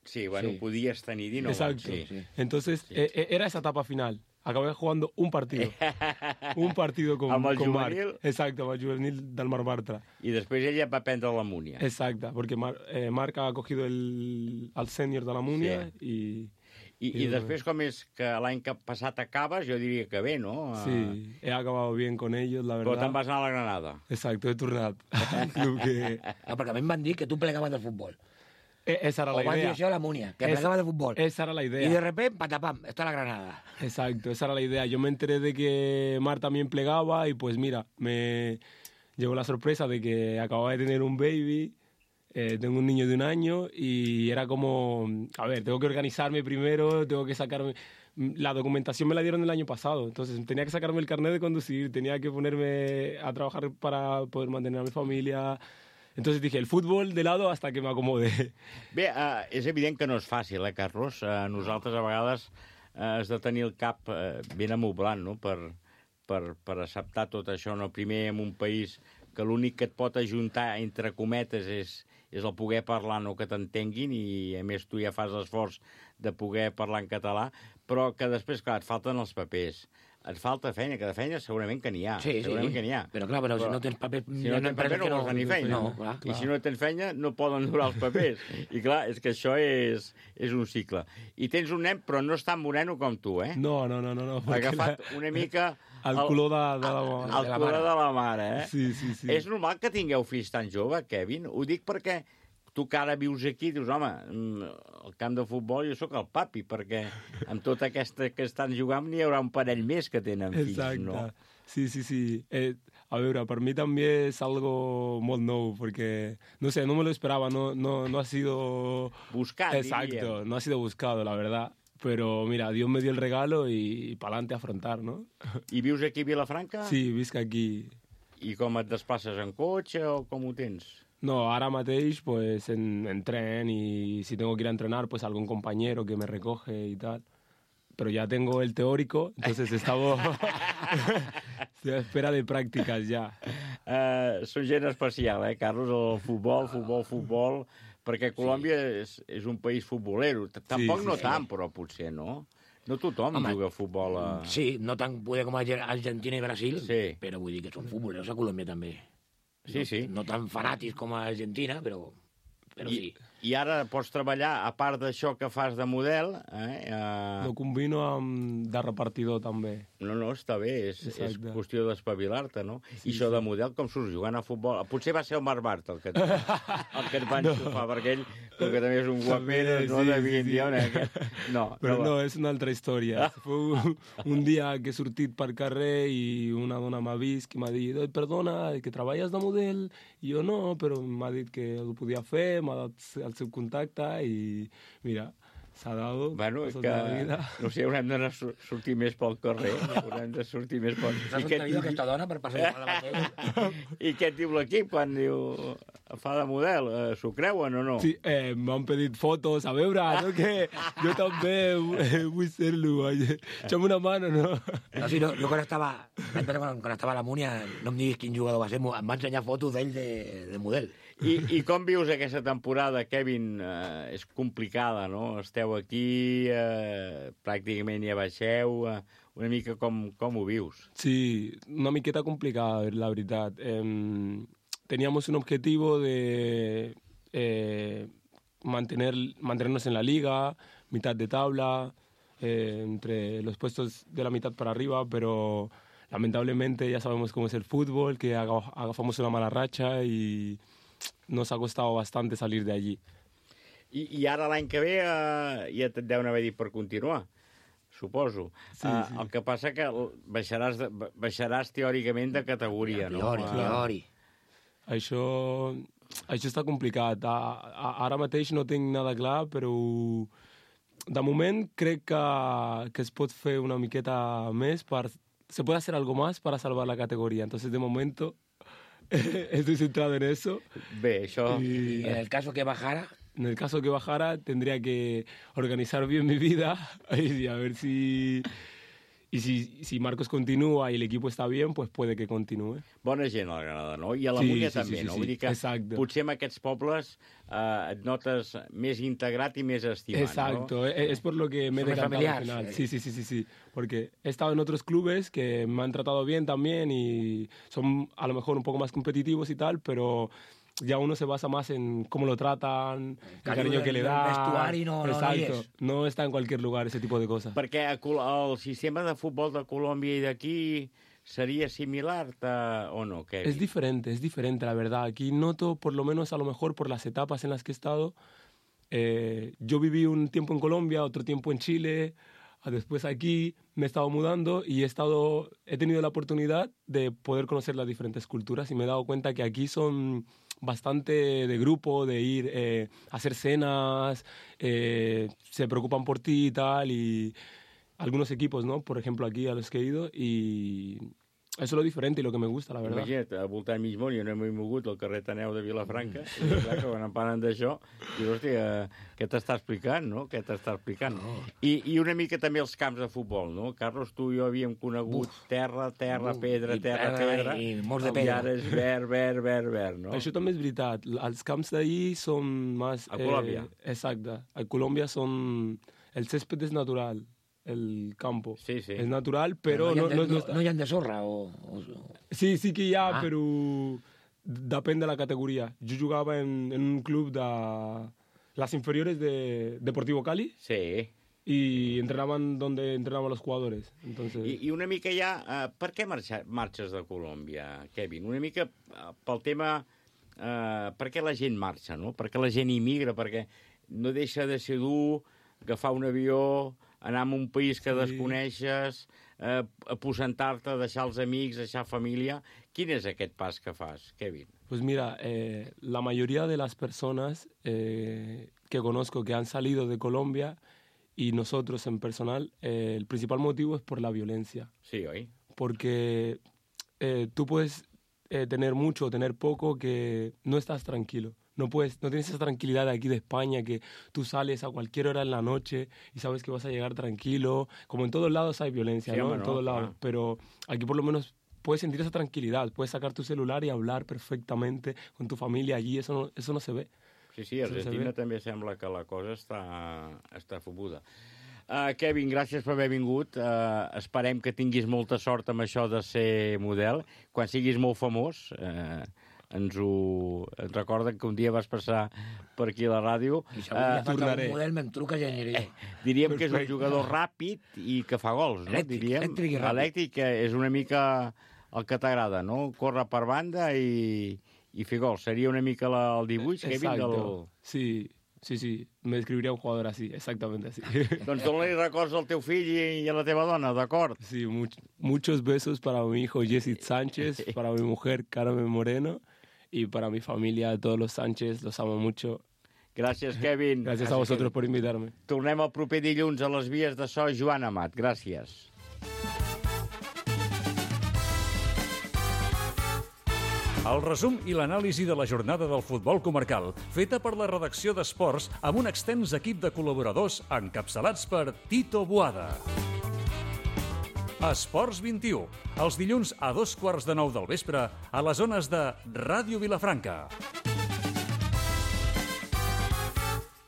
Sí, bueno, Sí. podies tenir dinou Exacto. anys. Sí. Entonces, Sí. eh, era esa etapa final. Acabé jugando un partido. un partido con, Amb el con Marc. juvenil? Exacto, amb el juvenil del Marc Bartra. I després ella va prendre la Múnia. Exacto, porque Mar, eh, Marc ha cogido el, al senior de la Múnia Sí. i... I, I després, com és que l'any que passat acabes, jo diria que bé, no? Sí, he acabado bien con ellos, la verdad. Però te'n vas anar a la Granada. Exacto, he tornat. Un club que... No, perquè a mi em van dir que tu plegaves del futbol. Eh, esa era o la van dir idea. això a la Múnia, que Es- plegabas del futbol. Esa era la idea. Y de repente, patapam, está la Granada. Exacto, esa era la idea. Yo me enteré de que Mar también plegaba y pues mira, me llegó la sorpresa de que acababa de tener un baby, eh, tengo un niño de un año y era como, a ver, tengo que organizarme primero, tengo que sacarme... La documentación me la dieron el año pasado, entonces tenía que sacarme el carnet de conducir, tenía que ponerme a trabajar para poder mantener a mi familia... Entonces dije, el fútbol de lado hasta que me acomode. Bé, uh, és evident que no és fàcil, eh, Carlos? Uh, nosaltres a vegades uh, has de tenir el cap uh, ben amoblant, no?, per, per, per acceptar tot això, no? Primer en un país que l'únic que et pot ajuntar, entre cometes, és, és el poder parlar, no que t'entenguin, i a més tu ja fas l'esforç de poder parlar en català, però que després, clar, et falten els papers. Et falta feina, que de feina segurament que n'hi ha. Sí, segurament sí. que n'hi ha. Però clar, però si no tens paper... Si no tens paper no vols tenir feina. No, clar, I clar. si no tens feina no poden durar els papers. I clar, és que això és, és un cicle. I tens un nen, però no és tan moreno com tu, eh? No, no, no, no. no Ha agafat una mica... El color de, de la, El color de la mare, eh? Sí, sí, sí. És normal que tingueu fills tan jove, Kevin? Ho dic perquè tu que ara vius aquí, dius, home, al camp de futbol jo sóc el papi, perquè amb tota aquesta que estan jugant n'hi haurà un parell més que tenen fills, Exacte. no? Sí, sí, sí. Eh, a veure, per mi també és algo molt nou, porque, no sé, no me lo esperaba, no, no, no ha sido... Buscat, Exacto, diríem. no ha sido buscado, la verdad. Pero mira, Dios me dio el regalo y para adelante a afrontar, ¿no? I vius aquí a Vilafranca? Sí, visc aquí. I com et desplaces en cotxe o com ho tens? No, ahora mateix, pues, en, en tren y si tengo que ir a entrenar, pues algún compañero que me recoge y tal. Pero ya tengo el teórico, entonces estamos... Estoy a espera de prácticas ya. Uh, són gent especial, eh, Carlos? El futbol, futbol, futbol... Perquè Colòmbia sí. és, és un país futbolero. Tampoc sí, no sí. tant, però potser, no? No tothom Home, juga a futbol a... Sí, no tan poder com Argentina i Brasil, Sí. però vull dir que són futboleros a Colòmbia també. Sí, no, sí. No tan fanàtics com a Argentina, però, però I, sí. I ara pots treballar, a part d'això que fas de model... Eh, uh... Lo combino amb de repartidor també. No, no, està bé, és, és Exacte. qüestió d'espavilar-te, no? Sí, I això sí. de model, com surts jugant a futbol? Potser va ser el Marc Bartra el que et, el que et va enxufar, no. perquè ell, com que també és un guapero, no sí, devia sí, dir on sí. No, Però no, no, és una altra història. Fue un, un dia que he sortit per carrer i una dona m'ha vist i m'ha dit "Oi, perdona, que treballes de model?" I jo no, però m'ha dit que ho podia fer, m'ha dat el seu contacte i mira, s'ha dado Bueno, cosas que, de la vida. no sé, haurem d'anar a sur- sortir més pel carrer, haurem de sortir més pel... S'ha sostingut aquesta dona per passar per la mateixa. I què et diu l'equip quan diu fa de model? Eh, S'ho creuen o no? Sí, eh, m'han pedit fotos, a veure, no, que jo també eh, vull ser-lo, echa'm una mano, no? No, sí, no, jo quan estava, quan, quan estava a la Múnia, no em diguis quin jugador va ser, em va ensenyar fotos d'ell de, de model. I, I com vius aquesta temporada, Kevin? Eh, és complicada, no? Esteu aquí, eh, pràcticament ja baixeu, eh, una mica com, com ho vius? Sí, una miqueta complicada, la veritat. Eh, teníamos un objetivo de eh, mantener, mantenernos en la liga, mitad de tabla, eh, entre los puestos de la mitad para arriba, pero lamentablemente ya sabemos cómo es el fútbol, que aga- agafamos una mala racha y nos ha costado bastante salir de allí. I, i ara l'any que ve eh, ja et deuen haver dit per continuar, suposo. Sí, eh, sí. El que passa que baixaràs, de, baixaràs teòricament de categoria, no? Teori, Eh, teori. Això, això està complicat. A, a, ara mateix no tinc nada clar, però de moment crec que, que es pot fer una miqueta més per... Se puede hacer algo más para salvar la categoría. Entonces, de momento, estoy centrado en eso. Bé, això... Y en el caso que bajara... En el caso que bajara, tendría que organizar bien mi vida y a ver si... Y si, si Marcos continúa y el equipo está bien, pues puede que continúe. Bona gent al Granada, no? I a la Sí, Múnia sí, també, sí, sí, no? sí. Vull dir que Exacte. potser en aquests pobles eh, et notes més integrat i més estimat, Exacto, no? es, es por lo que me he Son decantado al familiares, final. eh. Sí, sí, sí, sí, sí, porque he estado en otros clubes que me han tratado bien también y son a lo mejor un poco más competitivos y tal, pero ya uno se basa más en cómo lo tratan, el cariño que le del da. vestuari no- no- no hi Exacto, és. no está en cualquier lugar ese tipo de cosas. Perquè a Col- el sistema de futbol de Colòmbia i d'aquí seria similar ta- o no, Kevin? Es diferente, es diferente, la verdad. Aquí noto, por lo menos a lo mejor por las etapas en las que he estado, eh, yo viví un tiempo en Colombia, otro tiempo en Chile, a- después aquí me he estado mudando y he, estado, he tenido la oportunidad de poder conocer las diferentes culturas y me he dado cuenta que aquí son bastante de grupo, de ir eh, a hacer cenas, eh, se preocupan por ti y tal, y algunos equipos, ¿no? Por ejemplo, aquí a los que he ido, y eso es lo diferente y lo que me gusta, la verdad. Imagina't, al voltant mig món, jo no m'he mogut al carrer Taneu de Vilafranca, i clar que quan em parlen d'això, dius, hòstia, què t'està explicant, no? Què t'està explicant? I, I una mica també els camps de futbol, no? Carlos, tu i jo havíem conegut Uf. terra, terra, Uf, pedra, i terra, pedra, pedra, i molts de i pedra. ara és verd, verd, verd, verd, no? Això també és veritat. Els camps d'ahí són més... A Colòmbia. Eh, exacte. A Colòmbia són... El césped es natural, el campo. Sí, sí. Es natural, però... no, hi ha de, no, no, està- no hi ha de sorra o... o... Sí, sí que hi ha, Ah. però depèn de la categoria. Jo jugava en, en un club de las inferiores de Deportivo Cali. Sí. Y entrenaban donde entrenaban los jugadores. Entonces... I, I una mica ja, uh, per què marxa, marxes de Colòmbia, Kevin? Una mica uh, pel tema... Uh, per què la gent marxa, no? Per què la gent immigra? Perquè no deixa de ser dur agafar un avió, anar a un país que Sí. desconeixes, eh, aposentar-te, deixar els amics, deixar família. Quin és aquest pas que fas, Kevin? Pues mira, eh, la mayoría de las personas eh, que conozco que han salido de Colombia y nosotros en personal, eh, el principal motivo es por la violencia. Sí, oi? Porque eh, tú puedes eh, tener mucho o tener poco que no estás tranquilo. No, puedes, no tienes esa tranquilidad de aquí de España que tú sales a cualquier hora en la noche y sabes que vas a llegar tranquilo. Como en todos lados hay violencia, Sí, ¿no? hombre, En no, todos lados. claro. Pero aquí por lo menos puedes sentir esa tranquilidad. Puedes sacar tu celular y hablar perfectamente con tu familia allí. Eso no, eso no se ve. Sí, sí, a Eso no se Argentina ve. també sembla que la cosa està, està fobuda. Uh, Kevin, gràcies per haver vingut. Uh, esperem que tinguis molta sort amb això de ser model. Quan siguis molt famós, uh, ens ho ens recorden que un dia vas passar per aquí a la ràdio. I si algun dia fas algun model, me'n truques i aniré. Diríem que és un jugador ràpid i que fa gols, no? Elèctric, Diríem, elèctric i ràpid. elèctric, que és una mica el que t'agrada, no? Córrer per banda i, i fer gols. Seria una mica la, el dibuix, Kevin, del... Exacto. Sí, sí, sí. Me describiría un jugador así, exactamente así. Doncs dona-li records al teu fill i, i a la teva dona, d'acord? Sí, much, muchos besos para mi hijo Jesse Sánchez, para mi mujer Carmen Moreno y para mi familia, todos los Sánchez, los amo mucho. Gràcies, Kevin. Gràcies a vosotros por invitarme. Tornem el proper dilluns a les vies de so. Joan Amat, gràcies. El resum i l'anàlisi de la jornada del futbol comarcal, feta per la redacció d'Esports amb un extens equip de col·laboradors encapçalats per Tito Boada. Esports vint-i-u, els dilluns a dos quarts de nou del vespre a les zones de Ràdio Vilafranca.